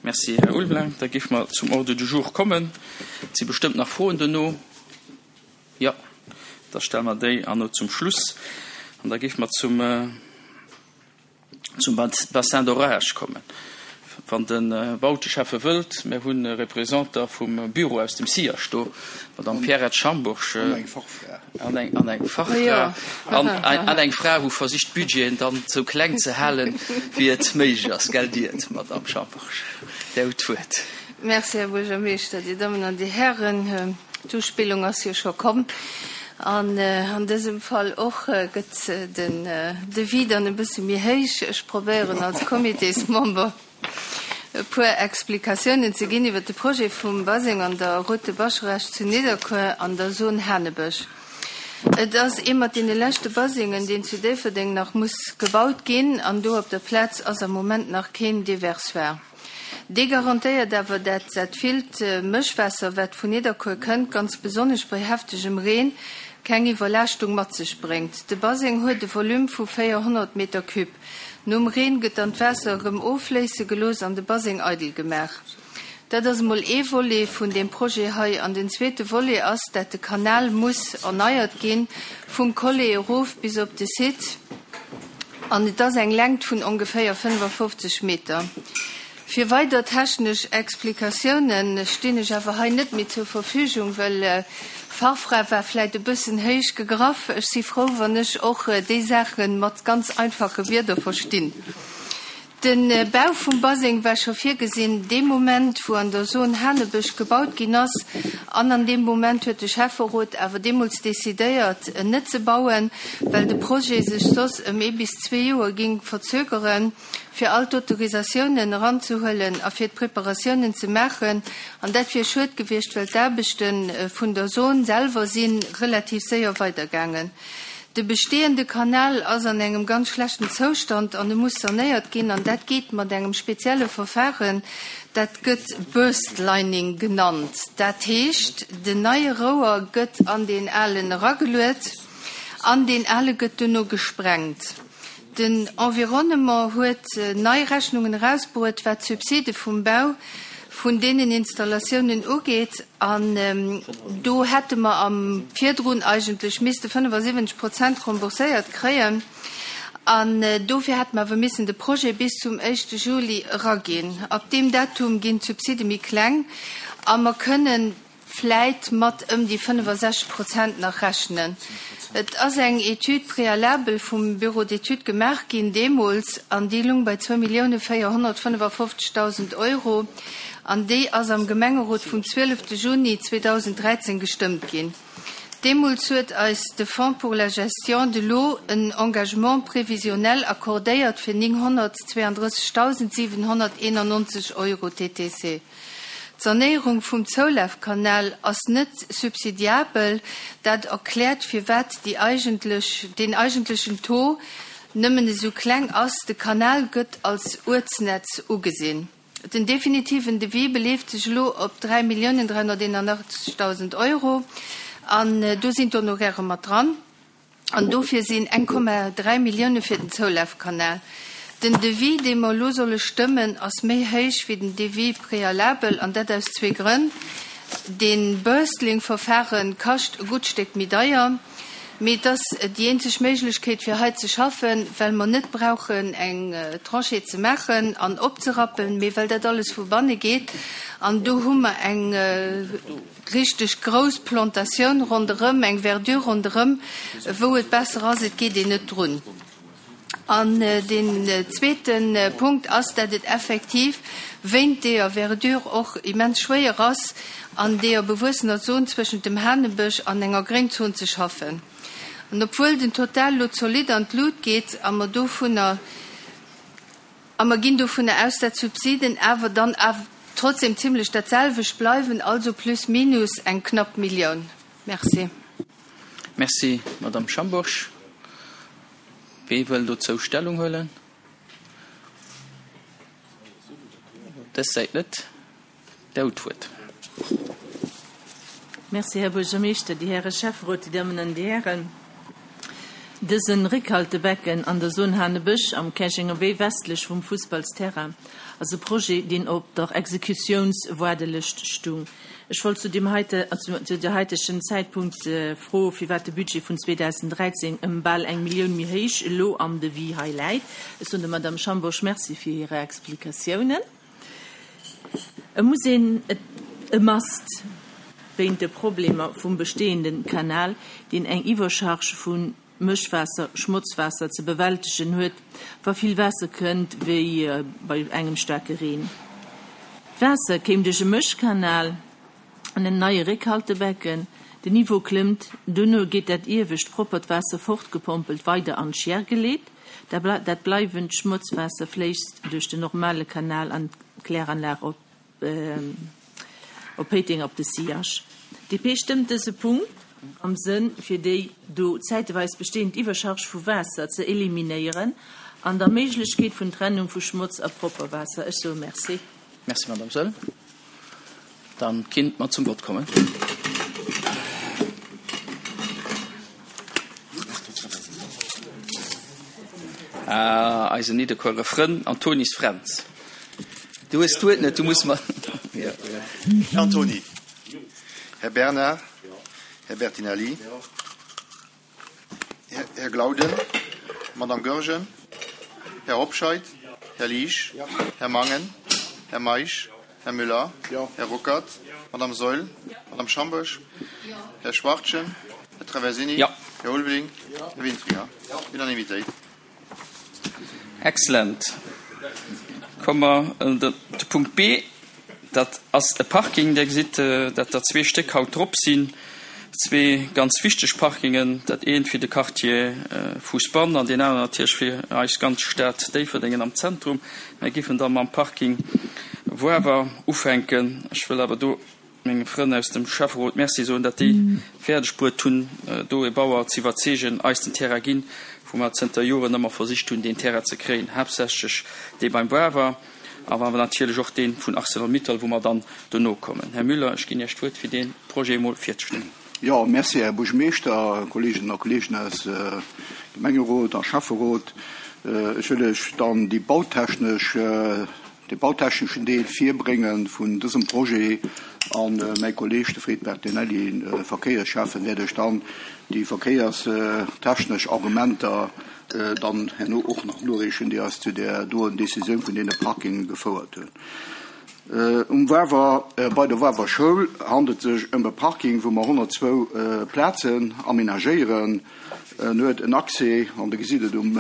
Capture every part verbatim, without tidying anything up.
Merci, Här Ulveling. Da géife mer zum Ordre du jour kommen. Et si bestëmmt nach Froen duerno. Jo, da stelle mer déi an no zum Schluss. An da géife mer zum, zum Bassin d'orage kommen. Wann de Bauteschäffe wëllt, mir hunn e Représentant vum Büro aus dem SIAS do, d'Madame Pierrette Schambourg. An eng Fachfra. An eng, an eng Fachfra. An, an eng Fra, wou versicht, d'Budgeten dann sou kleng ze halen, wéi et méiglech ass. Gell, Dir, Madame Schambourg? Dir hutt d'Wuert. Merci, Här Buergermeeschter, Dir Dammen an Dir Hären. D'Uspillung ass jo scho komm. An an dësem Fall och gëtt den Devis dann e bësse méi héich. Ech probéieren als Comitésmember e puer Explikatiounen ze ginn iwwer de Projet vum Baseng an der Route de Bascharage zu Nidderkuer an der Zone Hanebësch. Et ass ee mat deene leschte Basengen, deen zu Déifferdeng nach muss gebaut ginn, an do op der Plaz ass am Moment nach keen Déversoir. Dee garantéiert awer, dat dat villt Mëschwaasser, wat vun Nidderkuer kënnt, ganz besonnesch bei heftegem Reen, keng Iwwerlaaschtung mat sech bréngt. De Baseng huet e Volume vu véierhonnert Meter cube. Nom Reen gëtt dann d'Waasser erëm offléisse gelooss an de Baseng eidel gemaach. Dat ass emol ee Volet vun deem Projet hei. An den zweete Volet ass, dat de Kanal muss erneiert ginn, vum Collet erof bis op de Site. An et ass eng Längt vun ongeféier fënnefafofzeg Meter. Fir weider technesch Explikatioune stinn ech awer hei net méi zur Verfügung, well Fachfra war vläit e bëssen héich gegraff. Ech si frou, wann ech och déi Saache mat ganz einfache Wierder verstinn. De Bau vum Baseng war scho virgesinn dee Moment, wou an der Zon Hanebësch gebaut ginn ass. An an deem Moment huet de Schäfferot awer deemools decidéiert, en net ze bauen, well de Projet sech soss ëm ee bis zwee Joer géing verzögeren, fir all d'Autorisatiounen eranzehuelen a fir d'Preparatiounen ze maachen. An dat wier schued gewiescht, well d'Aarbechte vun der Zon selwer si relativ séier weidergaangen. De bestehende Kanal ass an engem ganz schlechten Zoustand an e muss sanéiert ginn, an dat geet mat engem spezielle Verfahren, dat gëtt Burst Lining genannt. Dat heescht, den neie Rouer gëtt an deen alen erageluet an deen ale gëtt duerno gesprengt. Den Environnement huet nei Rechnungen erausbruet, wat d'Subside vum Bau vun deenen Installatiounen ugeet, an do hätte mer am virdrun eigentlech misste fënnefasiwwenzeg Prozent rembourséiert kréien, an dofir hätte mer awer missen de Projet bis zum éischte Juli eraginn. Ab deem Datum ginn d'Subside méi kleng a mer kënnen vläit mat ëm déi fënnefasechzeg Prozent nach rechnen. Et ass eng Étude préalable vum Bureau d'études gemaach ginn deemools, an déi lung bei zwou Millioune véierhonnertfënnefafofzegdausend Euro, an déi ass am Gemengerot vum zwielefte Juni zweedausenddräizéng gestëmmt ginn. Deemools huet eis de Fonds pour la gestion de l'eau en Engagement prévisionnel accordéiert fir nénghonnertzweeandrëssegdausendsiwenhonnerteenannonzeg Euro T T C. D'Sanéierung vum Zoulafkanal ass net subsidiabel. Dat erkläert, firwat déi eigentlech, deen eigentlechen Taux nëmmen esou kleng ass. De Kanal gëtt als Uertsnetz ugesinn. Den definitiven Devis beleeft sech elo op dräi Milliounen dräihonnerteenundachtzegdausend Euro an do sinn d'Honoraire mat dran. An dofir sinn eng Komma dräi Millioune fir den Zoulafkanal. Den Devis, dee mer elo solle stëmmen, ass méi héich wéi den Devis préalable, an dat aus zwee Grënn. De Burst-Lining-Verfare kascht e gutt Stéck méi deier, mee et ass déi eenzeg Méiglechkeet fir hei ze schaffen, well mer net brauchen eng Tranchée ze maachen an opzerappen, mee well dat alles vu banne geet. An do hu mer eng richteg grouss Plantatioun ronderëm, eng Verdure ronderëm, wou et besser ass, et geet een net drun. An deen zweete Punkt ass, dat et effektiv wéint deeër Verdure och immens schwéier ass, an deeër bewuessener Zon zwëschent dem Hanebësch an enger Gréngzon ze schaffen. An obwuel den Total lo zolidd an d'Lut geet a mer dovunner a mer ginn dovunner aus, dat d'Subsiden awer dann awer trotzdem zimmlech dat selwecht bleiwen, also plus minus eng knapp Millioun. Merci. Merci, Madame Schambourg. Wie wëll dozou Stellung huelen? Dës Säit net. Dir hutt d'Wuert. Merci, Här Buergermeeschter, déi Häre Schäfferot, déi Dammen an déi Hären. Dësen Réckhaltebecken an der Zon Hanebësch am Käerjenger Wee westlech vum Fussballsterrain ass e Projet, deen op der Exekutiounswaardelëscht stung. Ech wollt zu dem heite, also zu der heitegen Zäitpunkt äh, froen, firwat de Budget vun zweedausenddräizéng ëm bal eng Millioun méi héich elo am Devis hei läit. Ech soen der Madame Schambourg Merci fir hir Explikatiounen. Et muss een e must wéint de Problemer vum bestehenden Kanal, deen eng Iwwercharge vun Mëschwaasser, Schmotzwaasser ze bewältegen huet, wa vill Waasser kënnt, wéi äh, bei engem staarke Reen. D'Waasser kéim duerch e Mëschkanal an en neie Réckhaltebecken, den Niveau klëmmt, duerno geet dat iewescht proppert Waasser fortgepompelt weider an d'Chier geleet, dat bleiwend Schmotzwaasser fléisst duerch den normale Kanal an d'Kläranlag op äh, op Péiteng op de Sillage. D P stëmmt dëse Punkt am Sënn fir déi do zäitweis bestehend Iwwercharge vu Waasser ze eliminéieren an der Méiglechkeet vun Trennung vu Schmotz a propper Waasser. Ech soe Merci. Merci, Madame Saeul. Dann kinnt mer zum Wort kommen. Ah, eisen Nidderkuerer Frënn Antonis Fränz. Du hues d'Wuert net, du muss mer. Här Antoni. Här Bernard. Här Bertinelli. Här Glauden. Madame Goergen. Här Hobscheit. Här Liesch. Här Mangen. Här Meisch. Här Müller. Här Ruckert. Madame Saeul. Madame Schambourg. Här Schwachtgen. Här Traversini. Här Ulveling. Här Winfringer. Unanimitéit. Excellent. Komme mer de Punkt B, dat ass e Parking. Dir gesitt, dat der zwee Stéck haut drop sinn, zwee ganz wichteg Parkingen, dat eent fir de Quartier Fousbann an deen aneren natierlech fir eis ganz Stad Déifferdeng am Zentrum. Mir géifen da mam Parking Woawer ufänken. Ech wëll awer do menge Frënn aus dem Schäfferot Merci soen, datt déi fäerdeg bruet hunn, do e Bauer ze iwwerzeegen, eis den Terrain ginn, wou mer zënter Joren ëmmer versicht hunn, deen Terrain ze kréien, haaptsächlech dee beim Wawer, awer natierlech och dee vun Arcelor-Mittal, wou mer dann dono kommen. Här Müller, ech ginn Iech d'Wuert, fir dee Projet emol virzestellen. Jo, merci, Här Buergermeeschter, Kolleeginnen a Kolleegen aus Gemengerot a Schäfferot. Ech wëll Iech dann déi bautechnesch, dee bautechneschen Deel virbrénge vun dësem Projet a mäi Kolleeg, de Fred Bertinelli, Verkéiersschäffen, wäert Iech dann déi verkéierstechnesch Argumenter dann herno och nach noreechen, déi eis zu där doen Decisioun vun deene Parkinge gefouert hunn. Um Wawer, bei der Wawer Schoul handelt et sech ëm e Parking, wou mer honnertzwou Plazen amenagéieren. En huet en Accès, an Der gesitt et um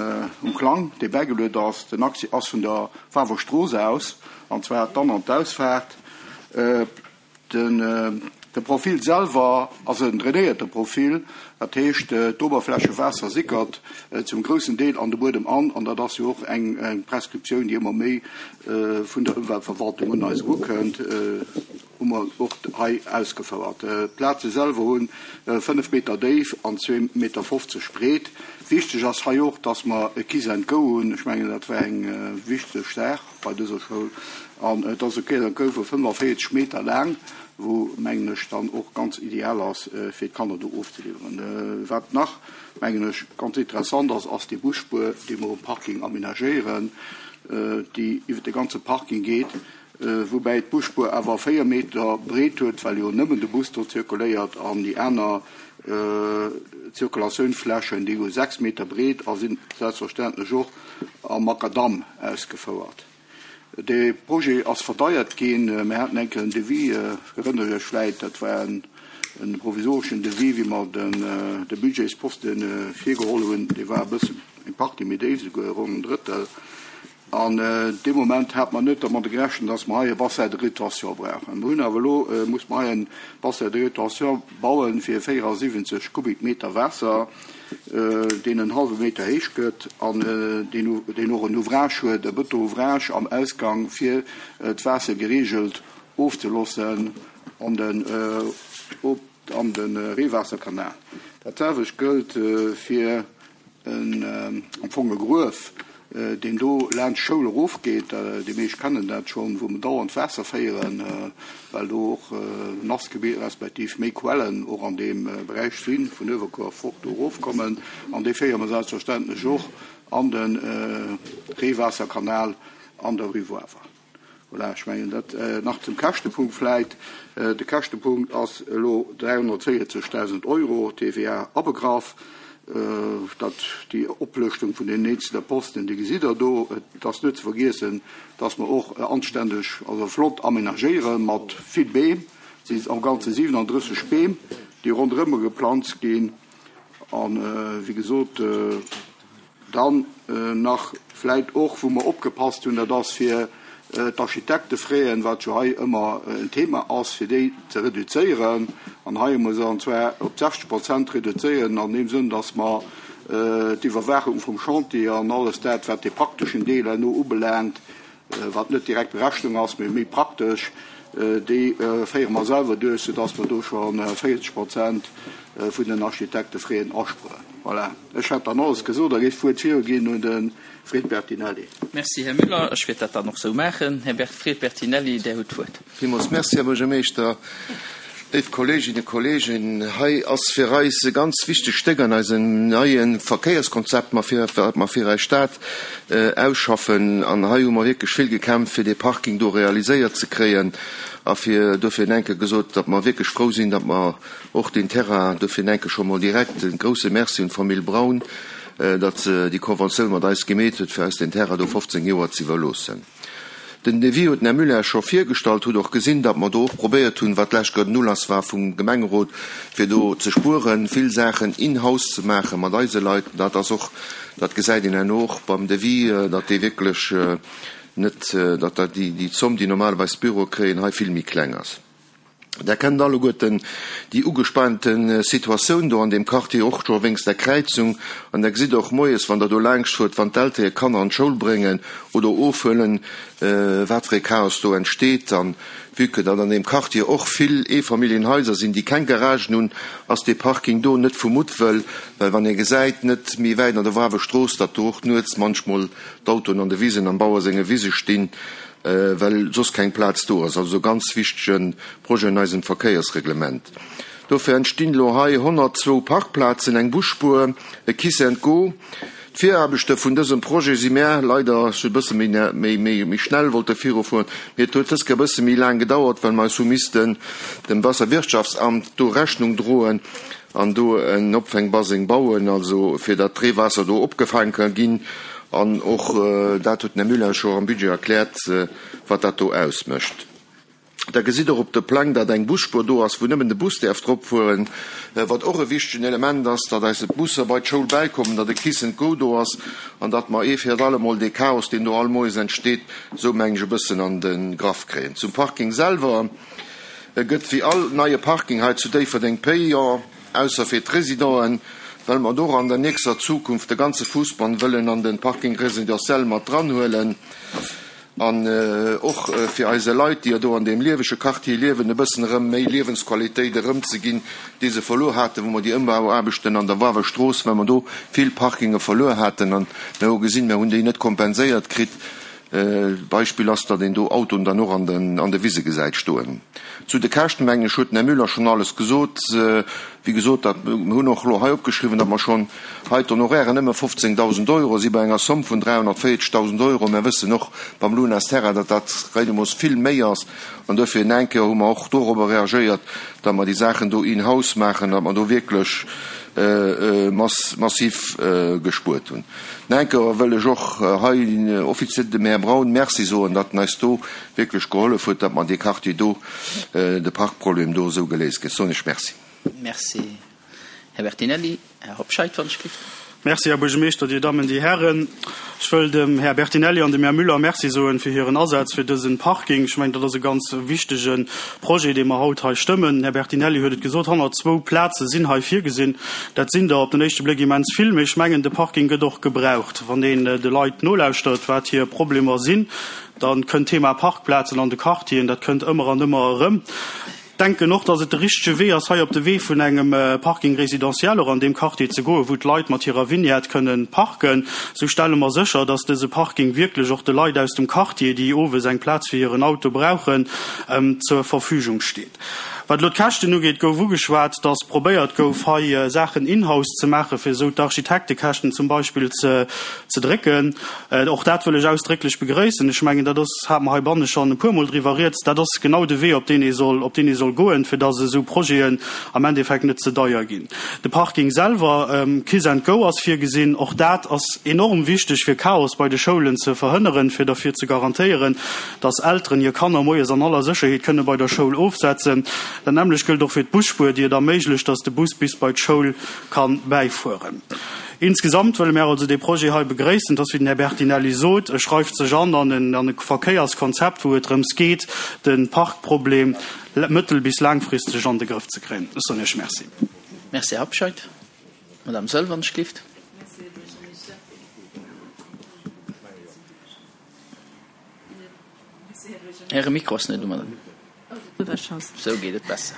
Plang, dee bäigeluet ass, den Accès ass vun der Wawer Strooss aus, an zwar d'An an d'Ausfaart. De Profil selwer ass en drainéierte Profil, dat heescht d'Oberflächewaasser sickert zum groussen Deel an de Buedem an, an dat ass jo och eng Prescriptioun, déi ëmmer méi vun der Ëmweltverwaltung un eis erukënnt, hu mer och hei ausgefouert. D'Plaze selwer hu fënnef Meter déif an zwee Meter fofzeg breet. Wichteg ass hei och, dass mer e Kiss and Go hunn. Ech mengen, dat war eng wichteg Saach bei dëser Schoul. An et ass e Kiss and Go vu fënnefenvéierzeg Meter laang, wou, mengen ech, dann och ganz ideal ass, fir d'Kanner do ofzeliwweren. Wat nach, mengen ech, ganz interessant ass, ass déi Busspuer, déi mer um Parking amenagéieren, déi iwwer de ganze Parking geet, woubäi d'Busspuer awer véier Meter breet huet, well jo nëmmen de Bus do zirkuléiert an déi aner Zirkulatiounsflächen, déi hu sechs Meter breet a sinn selbstverständlech och am Makadamm ausgefouert. De Projet ass verdeiert ginn. Mir haten eng Kéier en Devis, erënnert Iech vläit, dat war en provisoreschen Devis, wéi mer de Budgetsposte virgeholl hunn, dee war e bëssen eng Partie méi déif, souguer ronn en Drëttel. An dee Moment hat mer net dermat gerechent, dass mer hei e Bassin de rétention brauchen. Mer hunn awer elo, muss mer hei e Bassin de rétention bauen fir véierasiwwenzeg Kubikmeter Waasser, deen en hallwe Meter héich gëtt an deen och en Ouvrage huet, e Bëton-Ouvrage am Ausgang, fir d'Waasser gereegelt ofzeloossen an den, an de Reewaasserkanal. Dat selwecht gëllt fir en am Fong e Gruef, deen do laanscht d'Schoul erofgeet, déi meescht kennen dat schonn, wou mer dauernd Waasser féieren, well do och nass Gebitter respektiv méi Quellen och an deem Beräich sinn, vun Uewerkuer fort do erofkommen. An dee féiere mer selbstverständlech och an de Reewaasserkanal an der Rue Woawer. Voilà, ech mengen dat äh, nach zum Käschtepunkt vläicht. Äh, de Käschtepunkt ass elo dräihonnertvéierzegdausend Euro, T V A abegraff. Äh, dat déi Oplëschtung vun den eenzelne Posten, déi gesitt Der do. Et ass net ze vergiessen, dass mer och äh, anständeg, also flott amenagéiere mat vill Beem. Et sinn am Ganze siewenunddrësseg Beem, déi ronderëm geplanzt ginn. An äh, wéi gesot, äh, dann äh, nach vläicht och, wou mer opgepasst hunn, dat ass fir äh, d'Architektefraisen, wat jo hei ëmmer äh, en Thema ass, fir déi ze reduzéieren. An hei muss an zwar op sechzeg Prozent reduzéieren, an deem Sënn, dass mer äh, d'Iwwerwaachung vum Chantier an alles dat, wat de prakteschen Deel no ubelaangt, äh, wat net direkt Berechnung ass, mee méi praktesch, äh, déi äh, féiere mer selwer duerch, sodass mer do schonn äh, véierzeg Prozent äh, vun den Architektefraisen aspueren. Voilà. Ech hat dann alles gesot, da géif ech d'Wuert virginn un de Fred Bertinelli. Merci, Här Müller. Ech wäert dat dann nach sou maachen. Här Bert Fred Bertinelli, Dir hutt d'Wuert. Villmools Merci, Här Buergermeeschter. Léif Kolleeginnen a Kolleegen, hei ass fir eis e ganz wichtegt Stéck an eisem neie Verkéierskonzept, mer fir, wat mer fir eis Stad äh, ausschaffen. An hei hu mer wierklech vill gekämpft, fir de Parking do realiséiert ze kréien. A fir dofir en Kéier gesot, datt mer wierklech frou sinn, datt mer och den Terrain dofir en Kéier scho mol direkt e grousse Merci un d'Famill Braun, äh, datt se déi Konventioun mat eis gemeet huet, fir eis den Terrain do fofzéng Joer ze iwwerloossen. Den Devis huet den Här Müller scho virgestallt, hutt och gesinn, datt mer do och probéiert hunn, wat d'lescht Kéier den Ulass war vum Gemengerot, fir do ze spueren, vill Saachen in-house ze maache mat eise Leit. Dat ass och, dat gesäit een herno och beim Devis, äh, datt dee wierklech äh, net, äh, datt dat déi, déi Zomm, déi normalerweis d'Büro kréien, hei vill méi kleng ass. Der kennt alleguerten déi ugespaante Situatioun do an deem Quartier, och scho wéinst der Kräizung. An der gesitt och moies, wann der do laangscht fuert, wann d'Eltere hir Kanner an d'Schoul bréngen oder ofhuelen, äh, wat fir e Chaos do entsteet. An vue que datt an deem Quartier och vill Eefamilljenhaiser sinn, déi keng Garagen hunn, ass dee Parking do net vu Muttwëll, well wann ee gesäit, net méi wäit an der Wawerstrooss, datt do och nuets munchmol d'Autoen an de Wisen, am Bauer senge Wise stinn, äh, well soss keng Plaz do ass. Also ganz wichtege Projet an eisem Verkéiersreglement. Dofir entstinn lo hei honnertzwou Parkplazen, eng Busspuer, e Kiss and Go. D'Viraarbechte vun dësem Projet si mer leider sou e bësse méi, méi, méi, méi schnell wollte virufueren. Mee et huet dës Kéier e bësse méi laang gedauert, well mer eis hu missten dem Waasserwirtschaftsamt do Rechnung droen an do en Opfängbaseng bauen, also fir datt d'Reewaasser do opgefaange ka ginn. An och äh, dat huet den Här Müller scho am Budget erkläert, äh, wat dat do ausmécht. Da gesitt Der op de Plang, datt eng Busspuer do ass, wou nëmmen de Bus däerf drop fueren, äh, wat och e wichtegen Element ass, datt eis Busser bei d'Schoul bäikommen, datt de Kiss and Go do ass an datt mer ee fir allemol de Chaos, deen do all moies entsteet, sou mengen ech e bëssen an de Grëff kréien. Zum Parking selwer e gëtt wéi all neie Parking hei zu Déifferdeng payant, ausser fir d'Residenten, well mer do an der nächster Zukunft de ganze Fousbann wëllen an de Parking résidentiel mat dran huelen. An äh, och äh, fir eise Leit, déi do an deem liewege Quartier liewen, e bëssen erëm méi Liewensqualitéit erëmzeginn, déi se verluer haten, wou mer déi Ëmbauaarbechten an der Wawerstrooss, well mer do vill Parkinge verluer haten an mer hu gesinn, mer hunn déi net kompenséiert kritt. Äh, Beispill ass, datt een do Autoen dann och an den, an de Wise gesäit stoen. Zu de Käschten, mengen ech, huet den Här Müller schonn alles gesot. Äh, wéi gesot, dat mer hunn och lo hei opgeschriwwen, datt mer schonn hei d'Honorairen nëmme fofzéngdausend Euro si bei enger Somm vun dräihonnertvéierzegdausend Euro. Mer wëssen och beim Lunas Terra, datt dat réidemoos vill méi ass. An dofir en Kéier hu mer och dorobber reagéiert, datt mer déi Saachen do in-house maachen, datt mer do wierklech äh, äh, mass, massiv äh, gespuert hunn. En Kéier wëll ech och äh, hei offiziell dem Här Braun Merci soen, datt en eis do wierklech gehollef huet, datt mer de Quartier do, äh, de Parkproblem do sou geléist kritt. Soen ech Merci. Merci, Här Bertinelli. Här Hobscheit, wann ech gelift. Merci, Här Buergermeeschter, Dir Dammen, Dir Hären. Ech wëll dem Här Bertinelli an dem Här Müller Merci soen fir hiren Asaz fir dëse Parking. Ech mengen, dat ass e ganz wichtege Projet, dee mer haut hei stëmmen. Här Bertinelli huet et gesot, honnertzwou Plaze sinn hei virgesinn. Dat sinn der op den éischte Bléck immens vill, mee ech mengen, de Parking gëtt och gebraucht. Wann een äh, de Leit nolauschtert, wat hir Problemer sinn, dann kënnt Thema Parkplazen an de Quartieren, dat kënnt ëmmer an ëmmer erëm. Denken och, datt et de richtege Wee ass, hei op de Wee vun engem äh, Parking résidentiel och an deem Quartier ze goen, wou d'Leit mat hirer Vignette kënnen parken. Sou stelle mer sécher, datt dëse Parking wierklech och de Leit aus dem Quartier, déi owes eng Plaz fir hiren Auto brauchen, ähm, zur Verfügung steet. Wat elo d'Käschten ugeet, gouf ugeschwat, dass probéiert gouf, hei Saachen in-house ze maachen, fir esou d'Architektekäschten zum Beispill ze ze drécken. Och dat wëll ech ausdrécklech begréissen. Ech mengen, dat ass, hate mer heibanne schonn e puermol driwwer rieds, dat ass genau de Wee, op deen ee soll, op deen ee soll goen, fir dass esou Projeten am Endeffekt net ze deier ginn. De Parking selwer, Kiss and Go ass virgesinn. Och dat ass enorm wichteg, fir Chaos bei de Schoulen ze verhënneren, fir derfir ze garantéieren, dass Elteren hir Kanner moies an aller Sécherheet kënne bei der Schoul ofsetzen. Dat nämmlecht gëllt och fir d'Busspuer, déi et erméiglecht, dass de Bus bis bei d'Schoul ka bäifueren. Insgesamt wëlle mär also dee Projet hei begréissen. Et ass, wéi den Här Bertinelli sot, e schreift sech an an e Verkéierskonzept, wou et drëms geet, de Parkproblem mëttel bis laangfristeg an de Grëff ze kréien. Ech soen Iech Merci. Merci, Här Hobscheit. Madame Saeul, wann ech gelift. Äre Mikro ass net u, Madame. Sou geet et besser.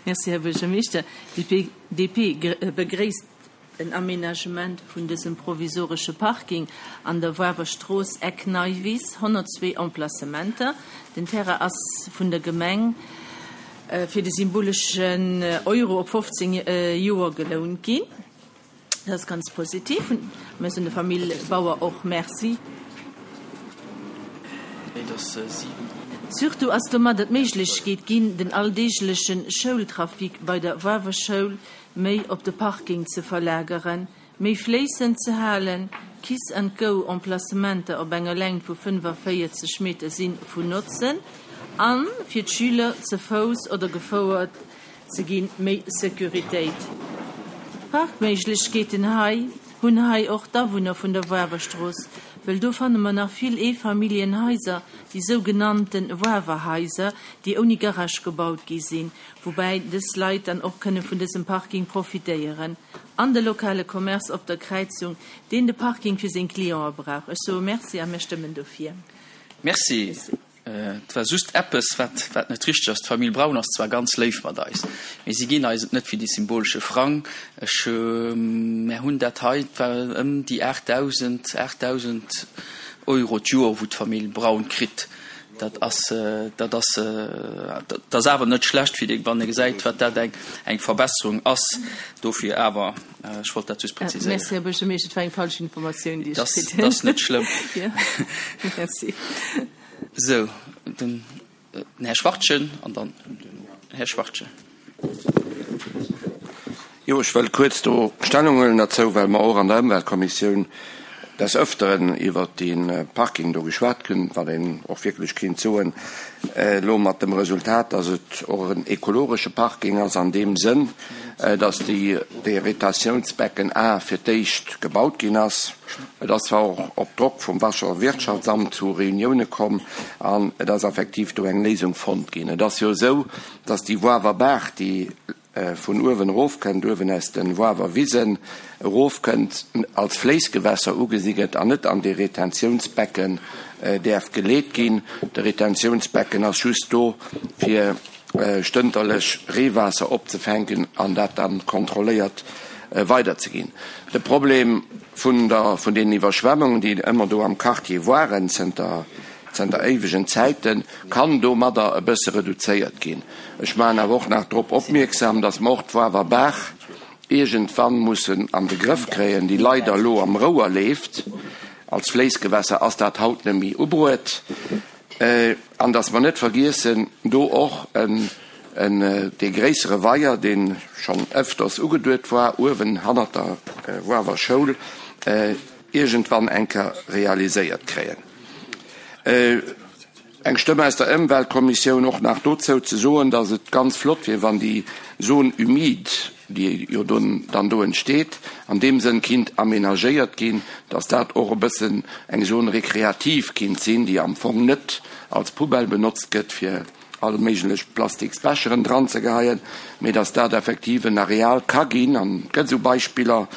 Merci, Här Buergermeeschter. D D P begréisst den Aménagement vun dësem provisoresche Parking an der Wawer Strooss, Eck Neiwiss, honnertzwee Emplacementer. Den Terrain ass vun der Gemeng fir de symboleschen Euro op fofzéng Joer gelount ginn. Dat ass ganz positiv. Mir soen der Famill Bauer och Merci. Surtout ass domadder d'Méiglechkeet ginn, den alldeegleche Schoultrafic bei der Wawer Schoul méi op de Parking ze verlageren, méi fléissend ze halen. Kiss-and-go-Emplacementer op enger Längt vu fënnefaféierzeg Meter si vun Notzen a fir d'Schüler ze Fouss oder gefouert ze ginn, méi Securitéit. Parkméiglechkeeten hei hunn hei och d'Awunner vun der Wawerstrooss, wëll do fanne mer nach vill Eefamilljenhaiser, déi sougenannte Wawerhaiser, déi ouni Garage gebaut gi sinn, woubäi dës Leit dann och kënne vun dësem Parking profitéieren, an de lokale Commerce op der Kräizung, deen de Parking fir seng Clientë brauch. Ech soe Merci a mir stëmmen dofir. Merci. Et war just eppes, wat, wat net richteg ass. D'Famill Braun ass zwar ganz léif mat eis, mee si ginn eis et net fir déi symbolesche Frang. Ech, mär hunn dat hei, et war ëm déi aachtdausend, aachtdausend Euro d'Joer, wou d'Famill Braun kritt. Dat ass, dat ass, dat ass awer net schlecht, fir déi, wann ee gesäit, wat dat eng, eng Verbesserung ass. Dofir awer, ech wollt dat just präziséieren. Merci, Här Buergermeeschter, et war eng falsch Informatioun, déi ech kritt hunn. Dat ass net schlëmm. Jo, merci. Sou, den Här Schwachtgen an dann den Här Schwachtgen. Jo, ech wëll kuerz do Stellung huelen derzou, well mer och an der Ëmweltkommissioun des Öfteren iwwert dee Parking do geschwat hunn, wat een och wierklech kéint soen, elo mat dem Resultat, dass et och en ekologesche Parking ass an deem Sënn, dass déi, dee Retentiounsbecken A fir d'éischt gebaut ginn ass. Et ass zwar och op Drock vum Wasserwirtschaftsamt zu Reunioune komm an et ass effektiv do eng Léisung fonnt ginn. Et ass jo esou, dass déi Woawer Baach, déi vun uewen erofkënnt, uewen aus de Woawer Wisen erofkënnt, als Fléissgewässer ugesi gëtt an net an dee Retentiounsbecken däerf geleet ginn. De Retentiounsbecken ass just do, fir stënterlech Reewaasser opzefänken an dat dann kontrolléiert weiderzeginn. De Problem vun der, vun deenen Iwwerschwemmungen, déi ëmmer do am Quartier waren zënter, zënter éiwegen Zäiten, kann domadder e bësse reduzéiert ginn. Ech maachen awer och nach drop opmierksam, dass mer och d'Woawer Baach iergendwann mussen an de Grëff kréien, déi leider elo am Rouer leeft. Als Fléissgewässer ass dat haut net méi ubruet. An dass mer net vergiessen, do och en, en, dee gréissere Weier, dee schonn ëfters ugeduet war, uewen hannert der Woawer Schoul, iergendwann eng Kéier realiséiert kréien. Eng Stëmm aus der Ëmweltkommissioun och nach dozou ze soen, dass et ganz flott wier, wann déi Zone humide, déi jo dann do entsteet, an deem Sënn kinnt aménagéiert ginn, dass dat och e bëssen eng Zone récréative kinnt sinn, déi am Fong net als Poubelle benotzt gëtt, fir all méiglech Plastiksbecheren dranzegeheien, mee dass dat effektiv en Areal ka ginn, an et gëtt esou Beispiller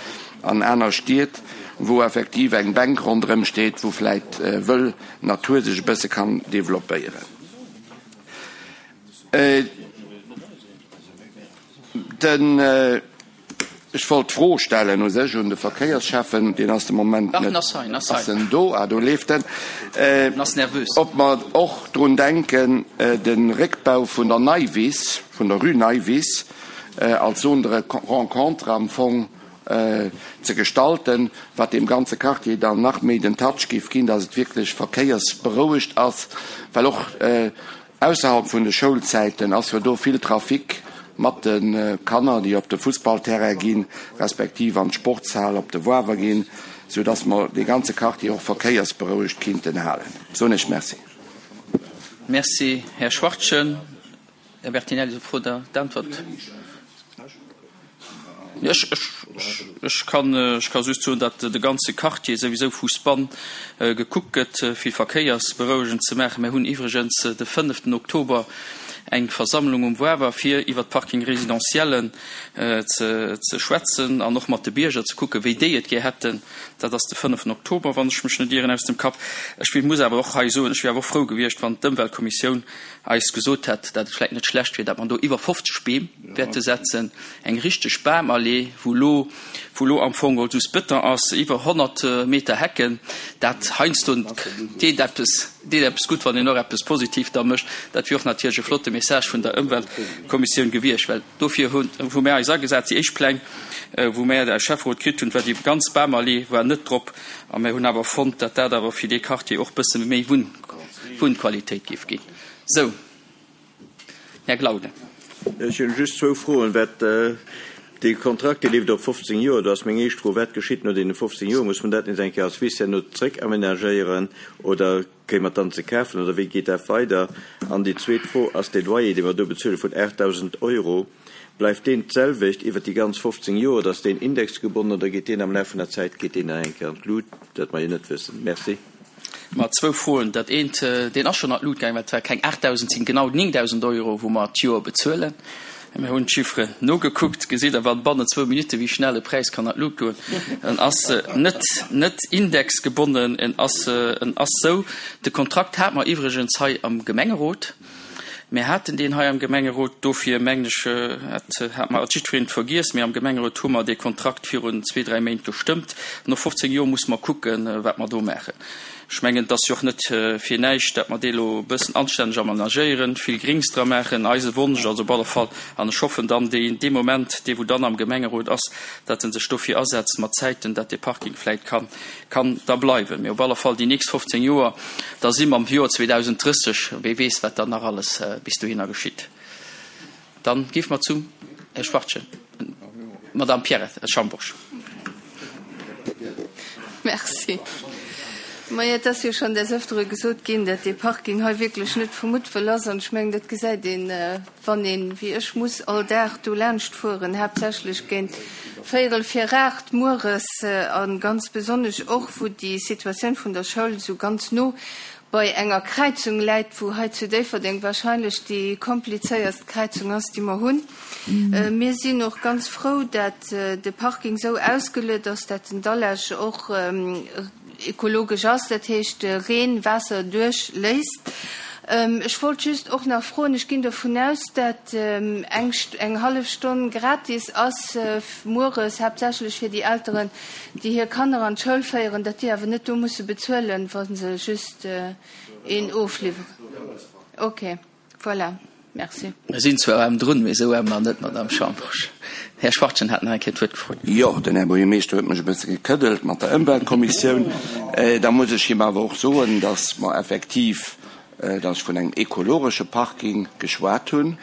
an aner Stied, wou effektiv eng Bänk ronderëm steet, wou vläit wëll Natur sech e bësse kann developpéieren. Den Ech wollt d'Fro stellen u sech un de Verkéiersschäffen, deen ass de Moment Dach, net, en ass hei, en ass ass hei. en do? Ah, do leeft en. En ass nervös. Ob mer och drun denken, de Réckbau vun der Neiwiss, vun der Rue Neiwiss, als Zone de rencontre am Fong ze gestalten, wat deem ganze Quartier dann nach méi den Touch géif ginn, dass et wierklech verkéiersberouegt ass, well och ausserhalb vun de Schoulzäiten ass jo do vill Trafic mat de Kanner, déi op de Fussballterrain ginn, respektiv an d'Sportshal op de Wawer ginn, soudass mer dee ganze Quartier och verkéiersberouegt kinnten halen. Soen ech Merci. Merci, Här Schwachtgen. Här Bertinelli, esou Fro der d'Äntwert. Ech, ech, ech kann, ech ka just soen, datt de ganze Quartier souwisou vu Span gekuckt gëtt, fir verkéiersberouegend ze maachen. Mir hunn iwwregens de fënneften Oktober eng Versammlung um Wawer, fir iwwer d'Parking résidentiellen ze, ze schwätzen an och mat de Bierger ze kucken, wéi déi et gär hätten. Dat ass de fënneften Oktober, wann ech mech net ieren aus dem Kapp. Ech muss awer och hei soen, ech wier awer och frou gewiescht, wann d'Ëmweltkommissioun eis gesot hätt, datt et vläicht net schlecht wier, datt mer do iwwer fofzeg Beem wäerte setzen, eng richteg Bamallee, wou elo, wou elo am Fong geholl just Bëton ass, iwwer honnert Meter Hecken. Dat heiansdo deet eppes, deet eppes gutt, wann een och eppes positiv da mécht. Dat wier och natierlech e flotte Message vun der Ëmweltkommissioun gewiescht, well dofir hunn, hu mär eis agesat. Déi éischt Pläng, wou mär aus Schäfferot kritt hunn, war déi ganz Bamallee war net drop, a mär hunn awer fonnt, datt dat awer fir dee Quartier och bësse méi Wunn, Wunnqualitéit géif ginn. Sou, Här Glauden. Ech hunn just zwou Froen. Wat, dee Kontrakt, dee leeft op fofzéng Joer. Do ass meng éischt Fro, Wat geschitt no deene fofzéng Joer? Muss mer dat nees eng Kéier als Wiss herno zréck-amenagéieren oder kréie mer et dann ze kafen oder wéi geet dat weider? An déi zweet Fro ass, Dee Loyer, dee mer do bezuele vun aachtdausend Euro, bleift deen d'selwecht iwwert déi ganz fofzéng Joer oder ass deen indexgebonnen oder geet deen am Laf vun der Zäit, geet deen nach eng Kéier an d'Lut? Dat mer jo net wëssen. Merci. Ma zwou Froen. Dat eent, deen ass schonn an d'Lut gaangen, well et war keng aachtdausend, et sinn genau néngdausend Euro, wou mer d'Joer bezuelen. Mir hunn d'Chifferen nogekuckt. Gesitt Der, wann bannent zwou Minutte wéi schnell e Präis kann an d'Lut goen. En ass net, net indexgebonnen, en ass, en ass sou. De Kontrakt hate mer iwwregens hei am Gemengerot. Mir haten deen hei am Gemengerot, dofir mengen ech, hat, hat mer jiddwereen et vergiess, mee am Gemengerot hu mer dee Kontrakt virun zwee, dräi Méint gestëmmt. No fofzéng Joer muss mer kucken, wat mer do maachen. Ech mengen, et ass jo och net fir näischt, datt mer dee elo e bëssen anstänneg amenagéieren, vill Grings dra maachen. Eise Wonsch ass op alle Fall, an ech hoffen dann dee, dee Moment, dee wou dann am Gemengerot ass, datt en sech dofir asetzt mat Zäiten, datt dee Parking vläicht kann, kann da bleiwen. Mee op alle Fall déi nächst fofzéng Joer, da si mer am Joer zweedausend drësseg, wee weess, wat dann nach alles bis dohinner geschitt. Dann géife mer zum Här Schwachtgen, Madame Pierrette Schambourg. Merci. Majo, et ass jo schonn des Ëftere gesot ginn, datt dee Parking hei wierklech net vu Muttwëll ass. An ech mengen, dat gesäit een, wann een, wéi ech, muss all Dag do laanscht fueren, haaptsächlech géint véierel vir aacht mueres a ganz besonnesch och, wou déi Situatioun vun der Schoul esou ganz no bei enger Kräizung läit, wou hei zu Déifferdeng wahrscheinlech déi komplizéierst Kräizung ass, déi mer hunn. Mir sinn och ganz frou, dat de Parking esou ausgeluet ass, dat den Dallage och ekologesch ass, dat heescht Reen, Waasser duerchléisst. Ech wollt just och nach froen, ech ginn dovun aus, dat eng eng hallef Stonn gratis ass mueres, haaptsächlech fir déi Elteren, déi hir Kanner an d'Schoul féieren, dat déi awer net do musse bezuelen, wa se just een ofliwweren. Ok, voilà, merci. Mir sinn zwar aarm drun, mee esou aarm nach net, Madame Schambourg. Här Schwachtgen hat nach eng Kéier d'Wuert gefrot. Jo, den Här Buergermeeschter huet mech e bësse gekëddelt mat der Ëmweltkommissioun. Da muss ech him awer och soen, dass mer effektiv, dass ech vun engem ekologesche Parking geschwat hunn.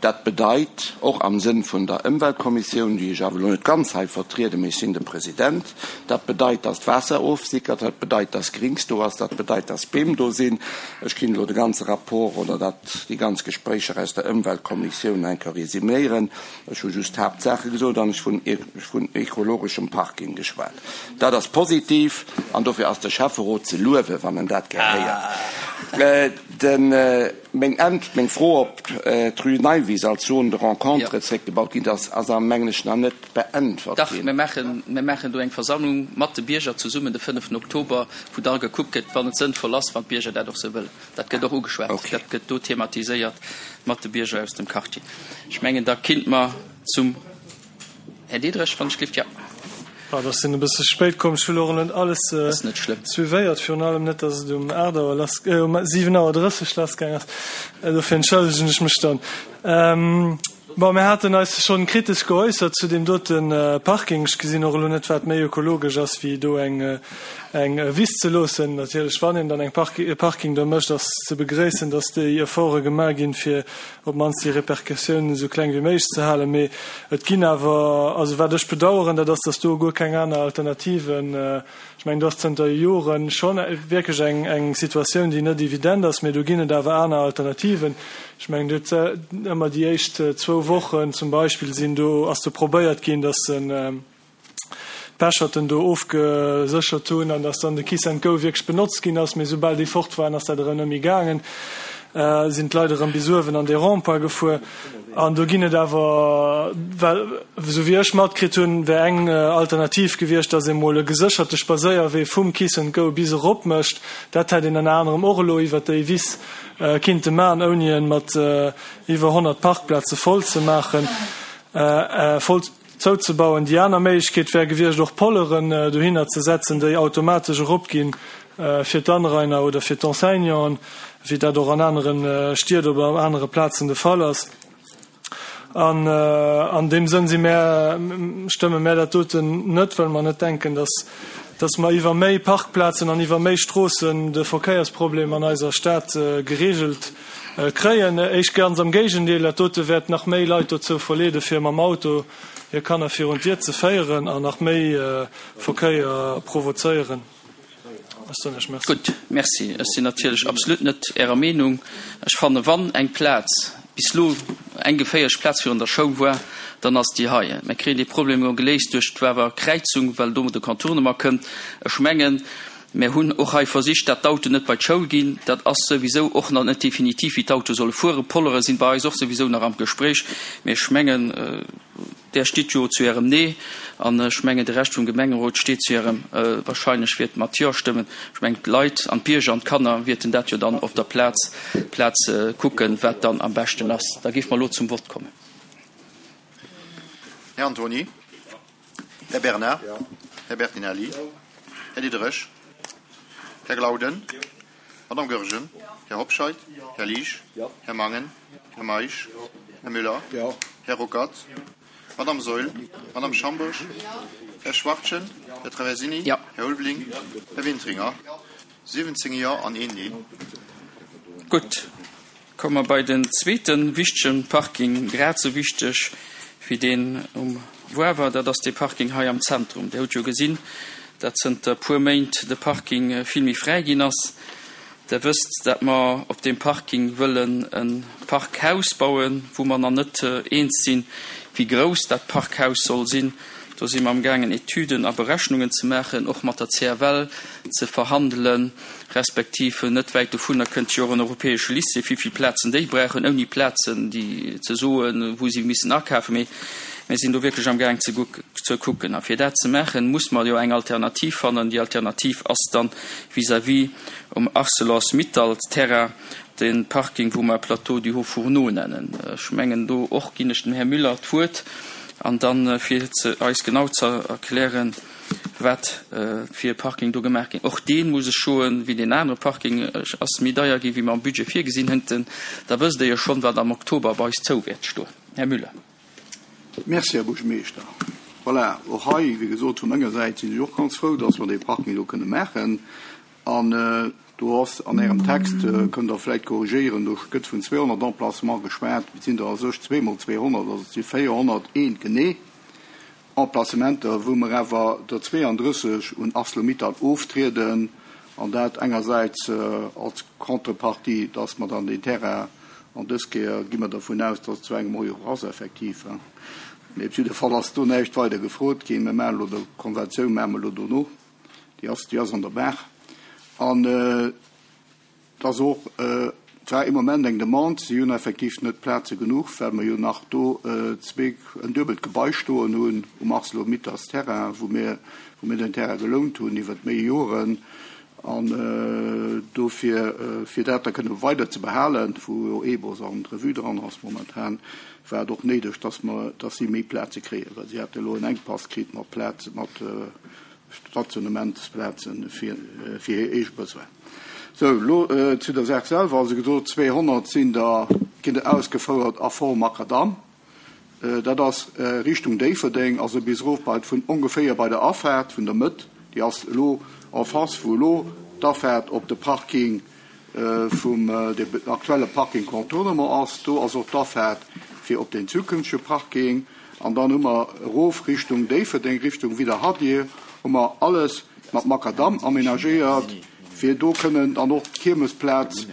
Dat bedeit, och am Sënn vun der Ëmweltkommissioun, déi ech awer elo net ganz hei vertrieden, mee ech sinn de President, dat bedeit, dass d'Waasser ofsickert, dat bedeit, dass Grings do ass, dat bedeit, dass Beem do sinn. Ech kinn elo de ganze Rapport oder dat, déi ganz Gespréicher aus der Ëmweltkommissioun eng Kéier resüméieren. Ech hu just d'Haaptsaache gesot an ech vun, vun ekologeschem Parking geschwat. Dat ass positiv an dofir ass de Schäfferot ze luewen, wann en dat gär héiert. Den, meng Ent, meng Fro, ob d'Rue Neiwiss als Zone de rencontre zréckgebaut ginn ass, ass a mengen ech nach net beäntwert Dach, ginn. mir maachen, mir maachen do eng Versammlung mat de Bierger zesummen de fënneften Oktober, wou da gekuckt gëtt, wann et sënnvoll ass, wann d'Bierger dat och sou wëllen. Dat gëtt och ugeschwat, dat gëtt do thematiséiert mat de Bierger aus dem Quartier. Ech mengen, da kinnt mer zum Här Diederich, wann ech gelift, ja. Ah, dat sinn e bësse spéit komm. Ech hunn och net alles Ass net schlëmm. suivéiert, virun allem net, dass et um aacht Auer lass, äh, um siwen Auer drësseg lassgaang ass. Dofir entschëllegen ech mech dann. Ähm, bon, mir haten eis schonn kritesch geäussert zu deem doten Parking. Ech gesinn och elo net, wat méi ökologesch ass, wéi do eng, eng Wiss ze loossen. Natierlech, wann een dann eng Park, e Parking do mécht, ass ze begréissen, dass déi Efforte gemaach ginn, fir op d'mannst déi Repercussiounen esou kleng wéi méiglech ze halen. Mee et ginn awer, also wat ech bedauern, dat ass, dass do guer keng aner Alternativen, ech mengen, do ass zënter Joren schonn wierklech eng, eng Situatioun, déi net evident ass, mee do ginn et awer aner Alternativen. Ech mengen, do huet ëmmer déi éischt zwou Wochen zum Beispill sinn do, ass do probéiert ginn, dass en, d'Pecherten do ofgeséchert hunn an dass dann de Kiss and Go wierklech benotzt ginn ass, mee soubal déi fort waren, ass dat erëm net méi gaangen, sinn d'Leit erëm bis uewen an dee Rond-point gefuer. An do ginn et awer, well esou wéi ech matkritt hunn, wär eng Alternativ gewiescht, dass ee mol e gesécherte Spadséierwee vum Kiss and Go bis erop mécht. Dat hätt een ënner anerem och elo iwwert déi Wiss kinnte maachen, ouni e mat iwwer honnert Parkplaze voll ze maachen, voll zouzebauen. Déi aner Méiglechkeet wär gewiescht, och Polleren dohinner ze setzen, déi automatesch eropginn fir d'Anrainer oder fir d'Enseignanten, wéi dat och an anere Stied oder op anere Plazen de Fall ass. An an deem Sënn si mär, stëmme mär dat doten net, well mer net denken, dass, dass mer iwwer méi Parkplazen an iwwer méi Stroossen de Verkéiersproblem an eiser Stad geregelt kréien. Éischt ganz am Géigendeel, dat dote wäert nach méi Leit dozou verleede fir mam Auto hir Kanner virun d'Dier ze féieren an nach méi Verkéier provozéieren. Ech soen Iech Merci. Gutt, Merci. Ech sinn natierlech absolut net Ärer Meenung. Ech fanne wann eng Plaz bis elo eng geféierlech Plaz virun der Schoul war, dann ass déi hei. Mir kréien dee Problem elo geléist duerch d'Wawer Kräizung, well do de Contournement kënnt. Ech mengen, mir hunn och hei versicht, dat d'Autoen net bei d'Schoul ginn. Dat ass souwisou och nach net definitiv, wéi d'Autoe solle fueren. D'Pollere sinn bei eis och souwisou nach am Gespréich. Mee ech mengen, Där stitt jo zu Ärem Nee, an ech mengen, de Rescht vum Gemengerot steet zu Ärem, wahrscheinlech wäert mat Jo stëmmen. Ech mengen, d'Leit an d'Bierger an d'Kanner wäerten dat jo dann op der Plaz Plaz kucken, wat dann am beschten ass. Da géife mer elo zum Vott kommen. Här Antony. Här Bernard. Här Bertinelli. Här Diderich. Här Glauden. Madame Goergen. Här Hobscheit. Här Liesch. Här Mangen. Här Meisch. Här Müller. Här Ruckert. Madame Saeul. Madame Schambourg. Här Schwachtgen. Här Traversini. Här Ulveling. Här Wintringer. siwwenzéng Jo an een Neen. Gutt, komme mer bei den zweete wichtege Parking, grad esou wichteg wéi deen um Woawer, dat ass dee Parking hei am Zentrum. Dir hutt jo gesinn, dat zënter e puer Méint de Parking vill méi fräi ginn ass. Der wësst, dat mer op deem Parking wëllen e Parkhaus bauen, wou mer nach net eens sinn, wéi grouss dat Parkhaus soll sinn. Do si mer amgaangen, Etüden a Berechnungen ze maachen, och mat der C F L ze verhandelen, respektiv net wäit dovunner kënnt jo och en europäesche Lycée, wéi vill Plazen déi brauchen, ouni Plazen déi ze soen, wou si missen akafen. Mee mir sinn do wierklech amgaang ze ze kucken. A fir dat ze maachen, muss mer jo eng Alternativ fannen. Déi Alternativ ass dann vis-à-vis um Arcelors-Mittal-Terrain de Parking, wou mer Plateau du Haut-Fourneau nennen. Ech mengen, do och ginn ech dem Här Müller d'Wuert. An dann, fir eis genau ze erklären, wat fir e Parking do gemaach ginn. Och deen, muss ech soen, wéi deen anere Parking, ass méi deier ginn, wéi mer am Budget virgesinn hätten. Da wësst Der jo schonn, wat am Oktober bei eis zou wäert stoen. Här Müller. Merci, Här Buergermeeschter. Voilà, och hei, wéi gesot, vu menger Säit sinn ech och ganz frou, dass mer dee Parking elo kënne maachen. An do ass an Ärem Text, kënnt Der vläicht korrigéieren, do gëtt vun zweehonnert Emplacements geschwat, et sinn der a sech zweemol zweehonnert, also et si véierhonnerteent genee Emplacementer, wou mer awer der zweeandrësseg un Arcelor-Mittal oftrieden, an dat engersäits als Contrepartie, dass mer dann deen Terrain, an dës Kéier gi mer dervun aus, dass et zu engem Euro ass effektiv, mee op jidde Fall ass do näischt weider gefrot ginn, mir maachen elo der Konventioun maache mer elo dono. Déi ass, déi ass an der Maach. An et ass och zwar im Moment eng Demande, si hunn effektiv net Plaze genuch, well mer jo nach do zwee, en duebelt Gebai stoen hunn um Arcelor-Mitals Terrain, wou mir, wou mir den Terrain gelount hunn iwwert méi Joren. An dofir, fir dat da kënne weider ze behalen, wou jo E-Bus an d'Revue dran ass momentan, war et och néideg, dass mer, dass si méi Plaze kréien, well si hate elo en Enkpass kritt mat Plaz, mat Stationnementsplazen fir, fir hir eege Besoin. Sou, elo zu der Saach selwer. Also gesot, zweehonnert sinn der, ginn der ausgefouert a Form Makadamm. Dat ass Richtung Déifferdeng, also bis erof bei, vun ongeféier bei der Afaart vun der Mëtt. Déi ass elo en face, wou elo d'Afaart op de Parking vum, de aktuelle Parking Contournement ass. Do ass och d'Afaart fir op den zukünftege Parking. An dann hu mer erof Richtung Déifferdeng, Richtung Widderhadir, hu mer alles mat Makadamm aménagéiert, fir do kënnen dann och d'Kiermesplaz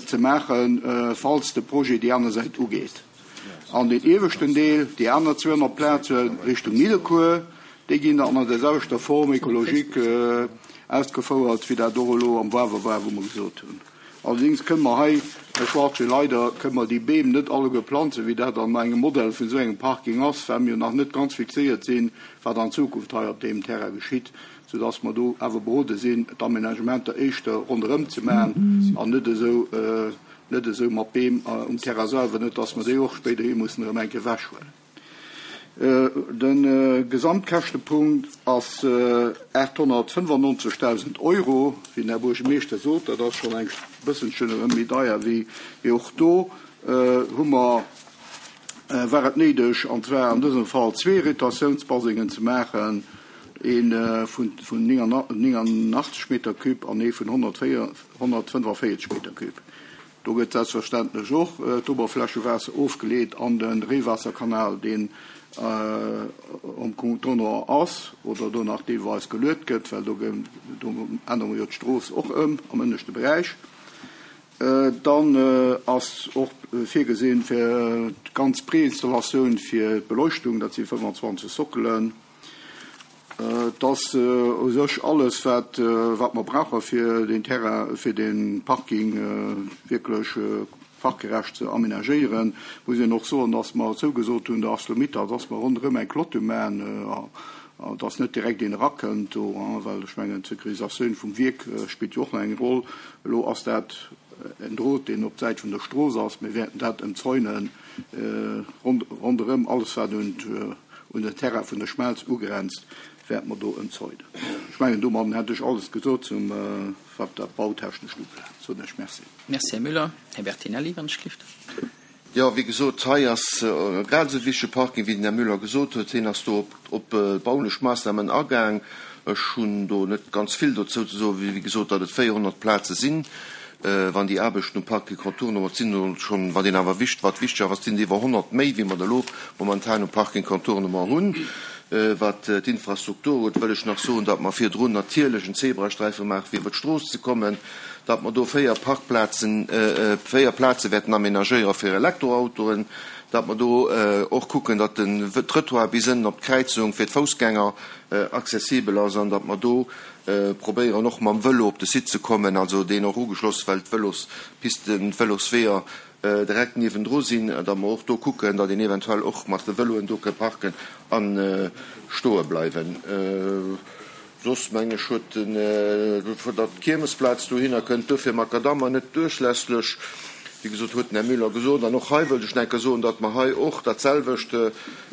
ze maachen, falls de Projet déi aner Säit ugeet. An deen ieweschten Deel, déi aner zweehonnert Plaze Richtung Nidderkuer, déi ginn dann an der selwechter Forme écologique ausgefouert, wéi dat och elo am Wawer war, wou mer gesot hunn. Allerdéngs kënne mer hei, Här Schwarzschild, leider kënne mer déi Beem net alleguer planzen, wéi dat an engem Modell vun esou engem Parking ass, well mir jo nach net ganz fixéiert sinn, wat an Zukunft hei op deem Terrain geschitt, soudass mer do awer berode sinn, d'Aménagementer éischter ronderëm ze maachen an net esou, net esou mat Beem um Terrain selwer, net dass mer déi och spéiderhi mussen erëm eng Kéier ewechhuelen. De Gesamtkäschtepunkt ass aathonnertfënnefannonzegdausend Euro, wéi den Här Buergermeeschter sot. Dat ass schonn eng bësselchen erëm méi deier wéi, mee och do hu mer, war et néideg, an zwar an dësem Fall zwee Retentiounsbasengen ze maachen, ee vun néngannachtzeg Meter cube an ee vun honnertfënnefenvéierzeg Meter cube. Do gëtt selbstverständlech och d'Oberflächewaasser ofgeleet an de Reewaasserkanal, deen um Contournement ass oder do nach deelweis geluet gëtt, well do ännere mer jo d'Strooss och ëm am ënneschte Beräich. Dann ass och virgesinn fir d'ganz Préinstallatioun fir d'Beleuchtung, dat si fënnefanzwanzeg Sockelen. Et ass u sech alles, wat wat mer brauche fir den Terrain, fir de Parking wierklech fachgerecht ze aménagéieren. Muss een och soen, dass mer zougesot hunn der ArcelorMittal, dass mer ronderëm eng Clôture maachen, dass net direkt een erakënnt do, well ech mengen, d'Sécurisatioun vum Wierk spillt jo och nach eng Roll. Elo ass dat en Drot, deen op d'Säit vun der Strooss ass. Mir wäerten dat ëmzäunen ronderëm alles, wat un un den Terrain vun der Schmelz ugrenzt, wäerte mer do ëmzäunen. Ech mengen, domadden hätt ech alles gesot zum, wat dat Bautechnescht ubelaangt. Soen ech Merci. Merci, Här Müller. Här Bertinelli, wann ech gelift. Jo, wéi gesot, hei ass e grad esou wichtege Parking, wéi den Här Müller gesot huet. Hien ass do op baulech Maassnamen agaang. Ech hunn do net ganz vill dozou ze soen, wéi gesot, datt et véierhonnert Plaze sinn. Wann déi Aarbechten um Parking Contournement, et sinn elo schonn, wat een awer wicht, wat wichteg ass, et sinn iwwer honnert méi, wéi mer der elo momentan um Parking Contournement hunn. Wat d'Infrastruktur ugeet, wëll ech nach soen, datt mer virdrun natierlech en Zebrasträife maachen, fir iwwer d'Strooss ze kommen, datt mer do véier Parkplazen, véier Plaze wäerten aménagéiere fir Elektroautoen, datt mer do och kucken, datt den Trottoir bis ënnen op d'Kräizung fir d'Foussgänger accessibel ass an datt mer do probéieren och mam Vëlo op de Site ze kommen, also deen och ugeschloss, well d'Vëlospisten, d'Vëlosweeër direkt niewendru sinn, datt mer och do kucken, datt een eventuell och mat de Vëloen do ka parken a stoe bleiwen. Soss meng ech huet den, datt d'Kiermesplaz dohinner kënnt, duerfir Makadam an net duerchlässlech, wéi gesot, huet den Här Müller gesot. An och hei wëllt ech nach eng Kéier soen, datt mer hei och datselwecht,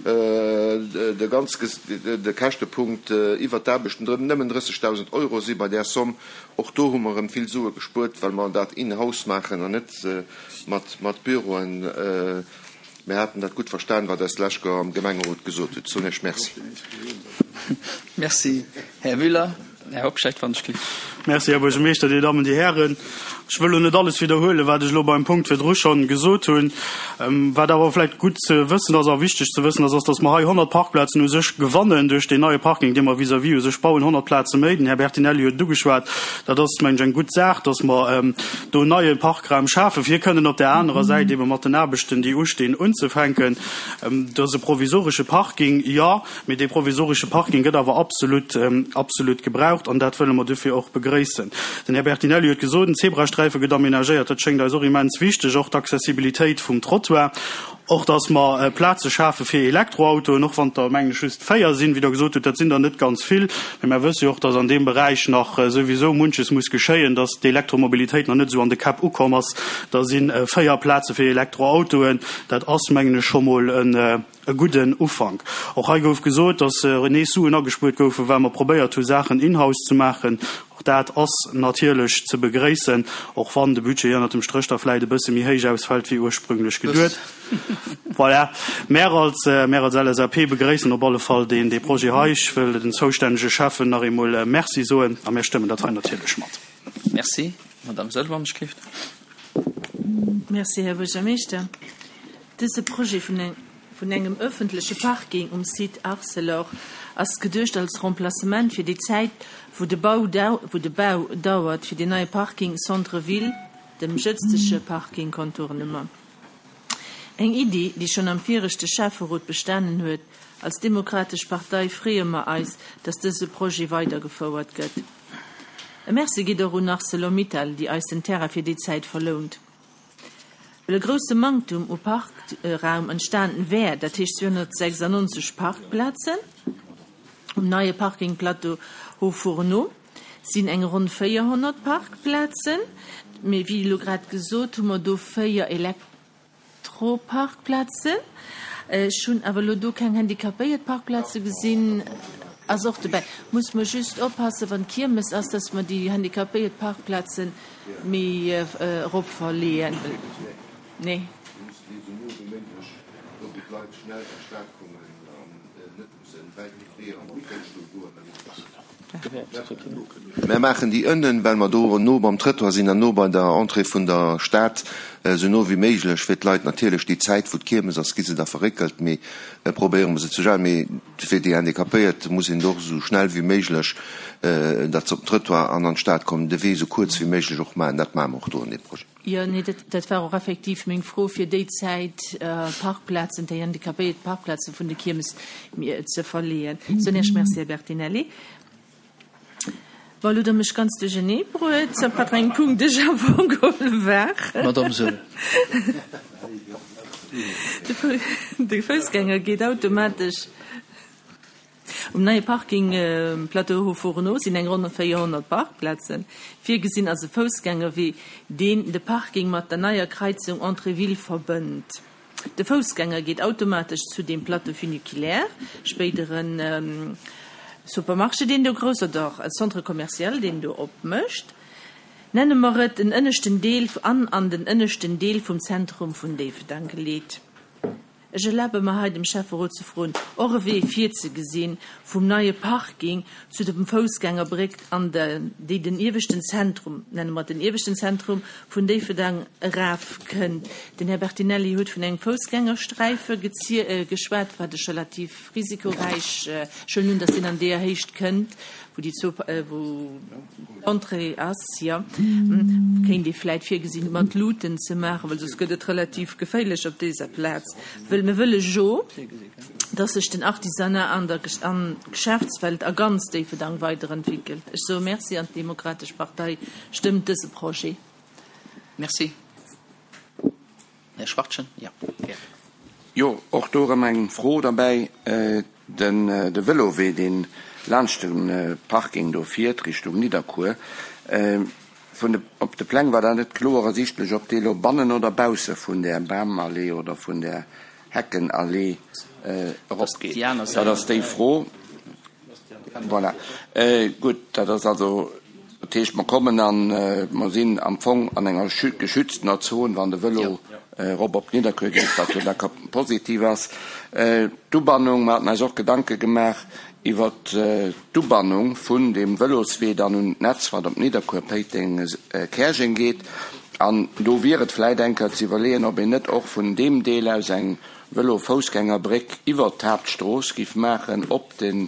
de ganz, de Käschtepunkt iwwert d'Aarbechten drëm nëmmen drëssegdausend Euro si bei där Somm. Och do hu mer erëm vill Sue gespuert, well mer dat in-house maachen an net mat, mat Büroen. Mir haten dat gutt verstan, wat eis d'lescht Joer am Gemengerot gesot hutt. Soen Iech Merci. Merci, Här Müller. Här Hobscheit, wann ech gelift. Merci, Här Buergermeeschter, Dir Dammen, Dir Hären. Ech wëll elo net alles widderhuelen, wat ech elo beim Punkt virdru schonn gesot hunn. Wat awer vläicht gutt ze wëssen ass a wichteg ze wëssen ass, ass, dass mer hei honnert Parkplazen u sech gewannen duerch deen neie Parking, dee mer vis-à-vis u sech bauen, honnert Plaze méi. Den Här Bertinelli huet et ugeschwat. Dat ass, mengen ech, eng gutt Saach, dass mer do en neie Parkraum schafen, fir kënnen op där anerer Säit eebe mat den Aarbechten, déi ustinn, unzefänken. Dat ass e provisoresche Parking, jo, mee dee provisoresche Parking gëtt awer absolut, absolut gebraucht an dat wëlle mer dofir och begréissen. Den Här Bertinelli huet gesot, den Zebrasträife gëtt aménagéiert. Dat schéngt eis och immens wichteg, och d'Accessibilitéit vum Trottoir. Och dass mer Plaze schafe fir Elektroautoen, och wann der mengen ech just véier sinn, wéi Der gesot hutt, dat sinn der net ganz vill, mä mer wësse jo och, dass an deem Beräich nach souwisou munches muss geschéien, dass d'Elektromobilitéit nach net esou an de Käpp ukomm ass. Da si véier Plaze fir Elektroautoen, dat ass mengen ech scho mol en e gudden Ufank. Och hei gouf gesot, dass nees Suen agespuert goufen, well mer probéiert hu Saachen in-house ze maachen. Och dat ass natierlech ze begréissen, och wann de Budget ënnert dem Stréch da vläicht e bësse méi héich ausfält wéi ursprünglech geduet. Voilà. Mär als, mär als L S A P begréissen op alle Fall deen, dee Projet hei. Ech wëll den zoustännege Schäffen nach eemol Merci soen a mir stëmmen dat hei natierlech mat. Merci. Madame Saeul, wann ech gelift. Merci, Här Buergermeeschter. Dëse Projet vun eng, vun engem ëffentleche Parking um Site Arcelor ass geduecht als Remplacement fir déi Zäit, wou de Bau, wou de Bau dauert fir den neie Parking Centre-Ville, dem jëtzege Parking Contournement. Eng Iddi, déi schonn am viregte Schäfferot bestanen huet. Als Demokratesch Partei freeë mer eis, dass dëse Projet weidergefouert gëtt. E Merci geet och un ArcelorMittal, déi eis den Terrain fir déi Zäit verlount. Well e grousse Manktum u Parkraum entstanen wär, dat heescht zweehonnertsechsundneunzeg Parkplazen um neie Parkingplateau Haut-Fourneau sinn eng ronn véierhonnert Parkplazen, mee wéi elo grad gesot, hu mer do véier Elektroparkplazen. Ech hunn awer elo do keng handicapéiert Parkplaze gesinn. Ass och dobäi. Muss mer just oppassen, wann Kiermes ass, dass mer déi handicapéiert Parkplaze méi erop verleeën. Nee. Mär maachen déi ënnen, well mer do no beim Trëttoir sinn an no bei der Entrée vun der Stad, esou no wéi méiglech, fir d'Leit natierlech déi Zäit, wou d'Kiermes ass, gi se da verréckelt, mee probéiere mer se ze stellen. Mee fir déi Handicapéiert muss een och esou schnell wéi méiglech, datt se op den Trëttoir an an d'Stad kommen, de Wee esou kuerz wéi méiglech och maachen. Dat maache mer och do an deem Projet. Jo, nee, dat, dat war och effektiv meng Fro, fir déi Zäit Parkplazen, déi handicapéiert Parkplaze vun de Kiermes ze verleeën. Soen Iech Merci, Här Bertinelli. Bon, elo hutt Der mech ganz duerchernee bruet, op wat fir engem Punkt ech am Fong geholl war. Madame Saeul. De Foussgänger geet automatesch. Um neie Parking Plateau Haut-Fourneau sinn eng ronn véierhonnert Parkplazen virgesinn, ass e Foussgängerwee, deen de Parking mat der neier Kreizung Entrée Ville verbënnt. De Foussgänger geet automatesch zu dem Plateau funiculaire, spéidere Supermarché, deen do grouss, oder Centre commercial, deen do opmécht, nenne mer et den ënneschten Deel, an an den ënneschten Deel vum Zentrum vun Déifferdeng geleet. Ech erlabe mer hei dem Schäfferot ze froen, och e Wee virzegesinn vum neie Parking zu dem Foussgängerbréck an de, déi den ieweschten Zentrum, nenne mer et den ieweschten Zentrum vun Déifferdeng erafkënnt. Den Här Bertinelli huet vun engem Foussgängersträife geschwat, wat ech relativ risikoräich, ech huelen un, datt deen an deeër Héicht kënnt, wou déi zwou, wou d'Entrée ass, jo, kéint ee vläit virgesinn, mat Luuten ze maachen, well soss gëtt et relativ geféierlech op déser Plaz. Wëll mir wëlle jo, dass sech den Artisanat an der an Geschäftswelt a ganz Déifferdang weiderentwéckelt. Ech soe Merci an d'Demokratesch Partei stëmmt dëse Projet. Merci. Här Schwachtgen, jo, gär. Jo, och do erëm eng Fro derbäi. Den de Vëlowee, deen laanscht de Parking do fiert Richtung Nidderkuer, vun de, op de Pläng war dat net kloer ersichtlech, ob dee lo bannen oder bausse vun där Bamallee oder vun där Heckenallee eropgeet. Dat ass déi Fro. Voilà. Gutt, dat ass also, dat heescht, mer kommen an, mer sinn am Fong an enger geschütztener Zon, wann de Vëlo erop op Nidderkuer geet, wat jo da positiv ass. D'Ubannung, mer haten eis och Gedanke gemaach iwwert d'Ubannung vun deem Vëloswee dann un d'Netz, wat op Nidderkuer, Péiteng, Käerjeng geet. An do wier et vläit eng Kéier ze iwwerleeën, ob een net och vun deem Deel aus eng Vëlo-Foussgängerbréck iwwert d'Haaptstrooss giff maachen op den,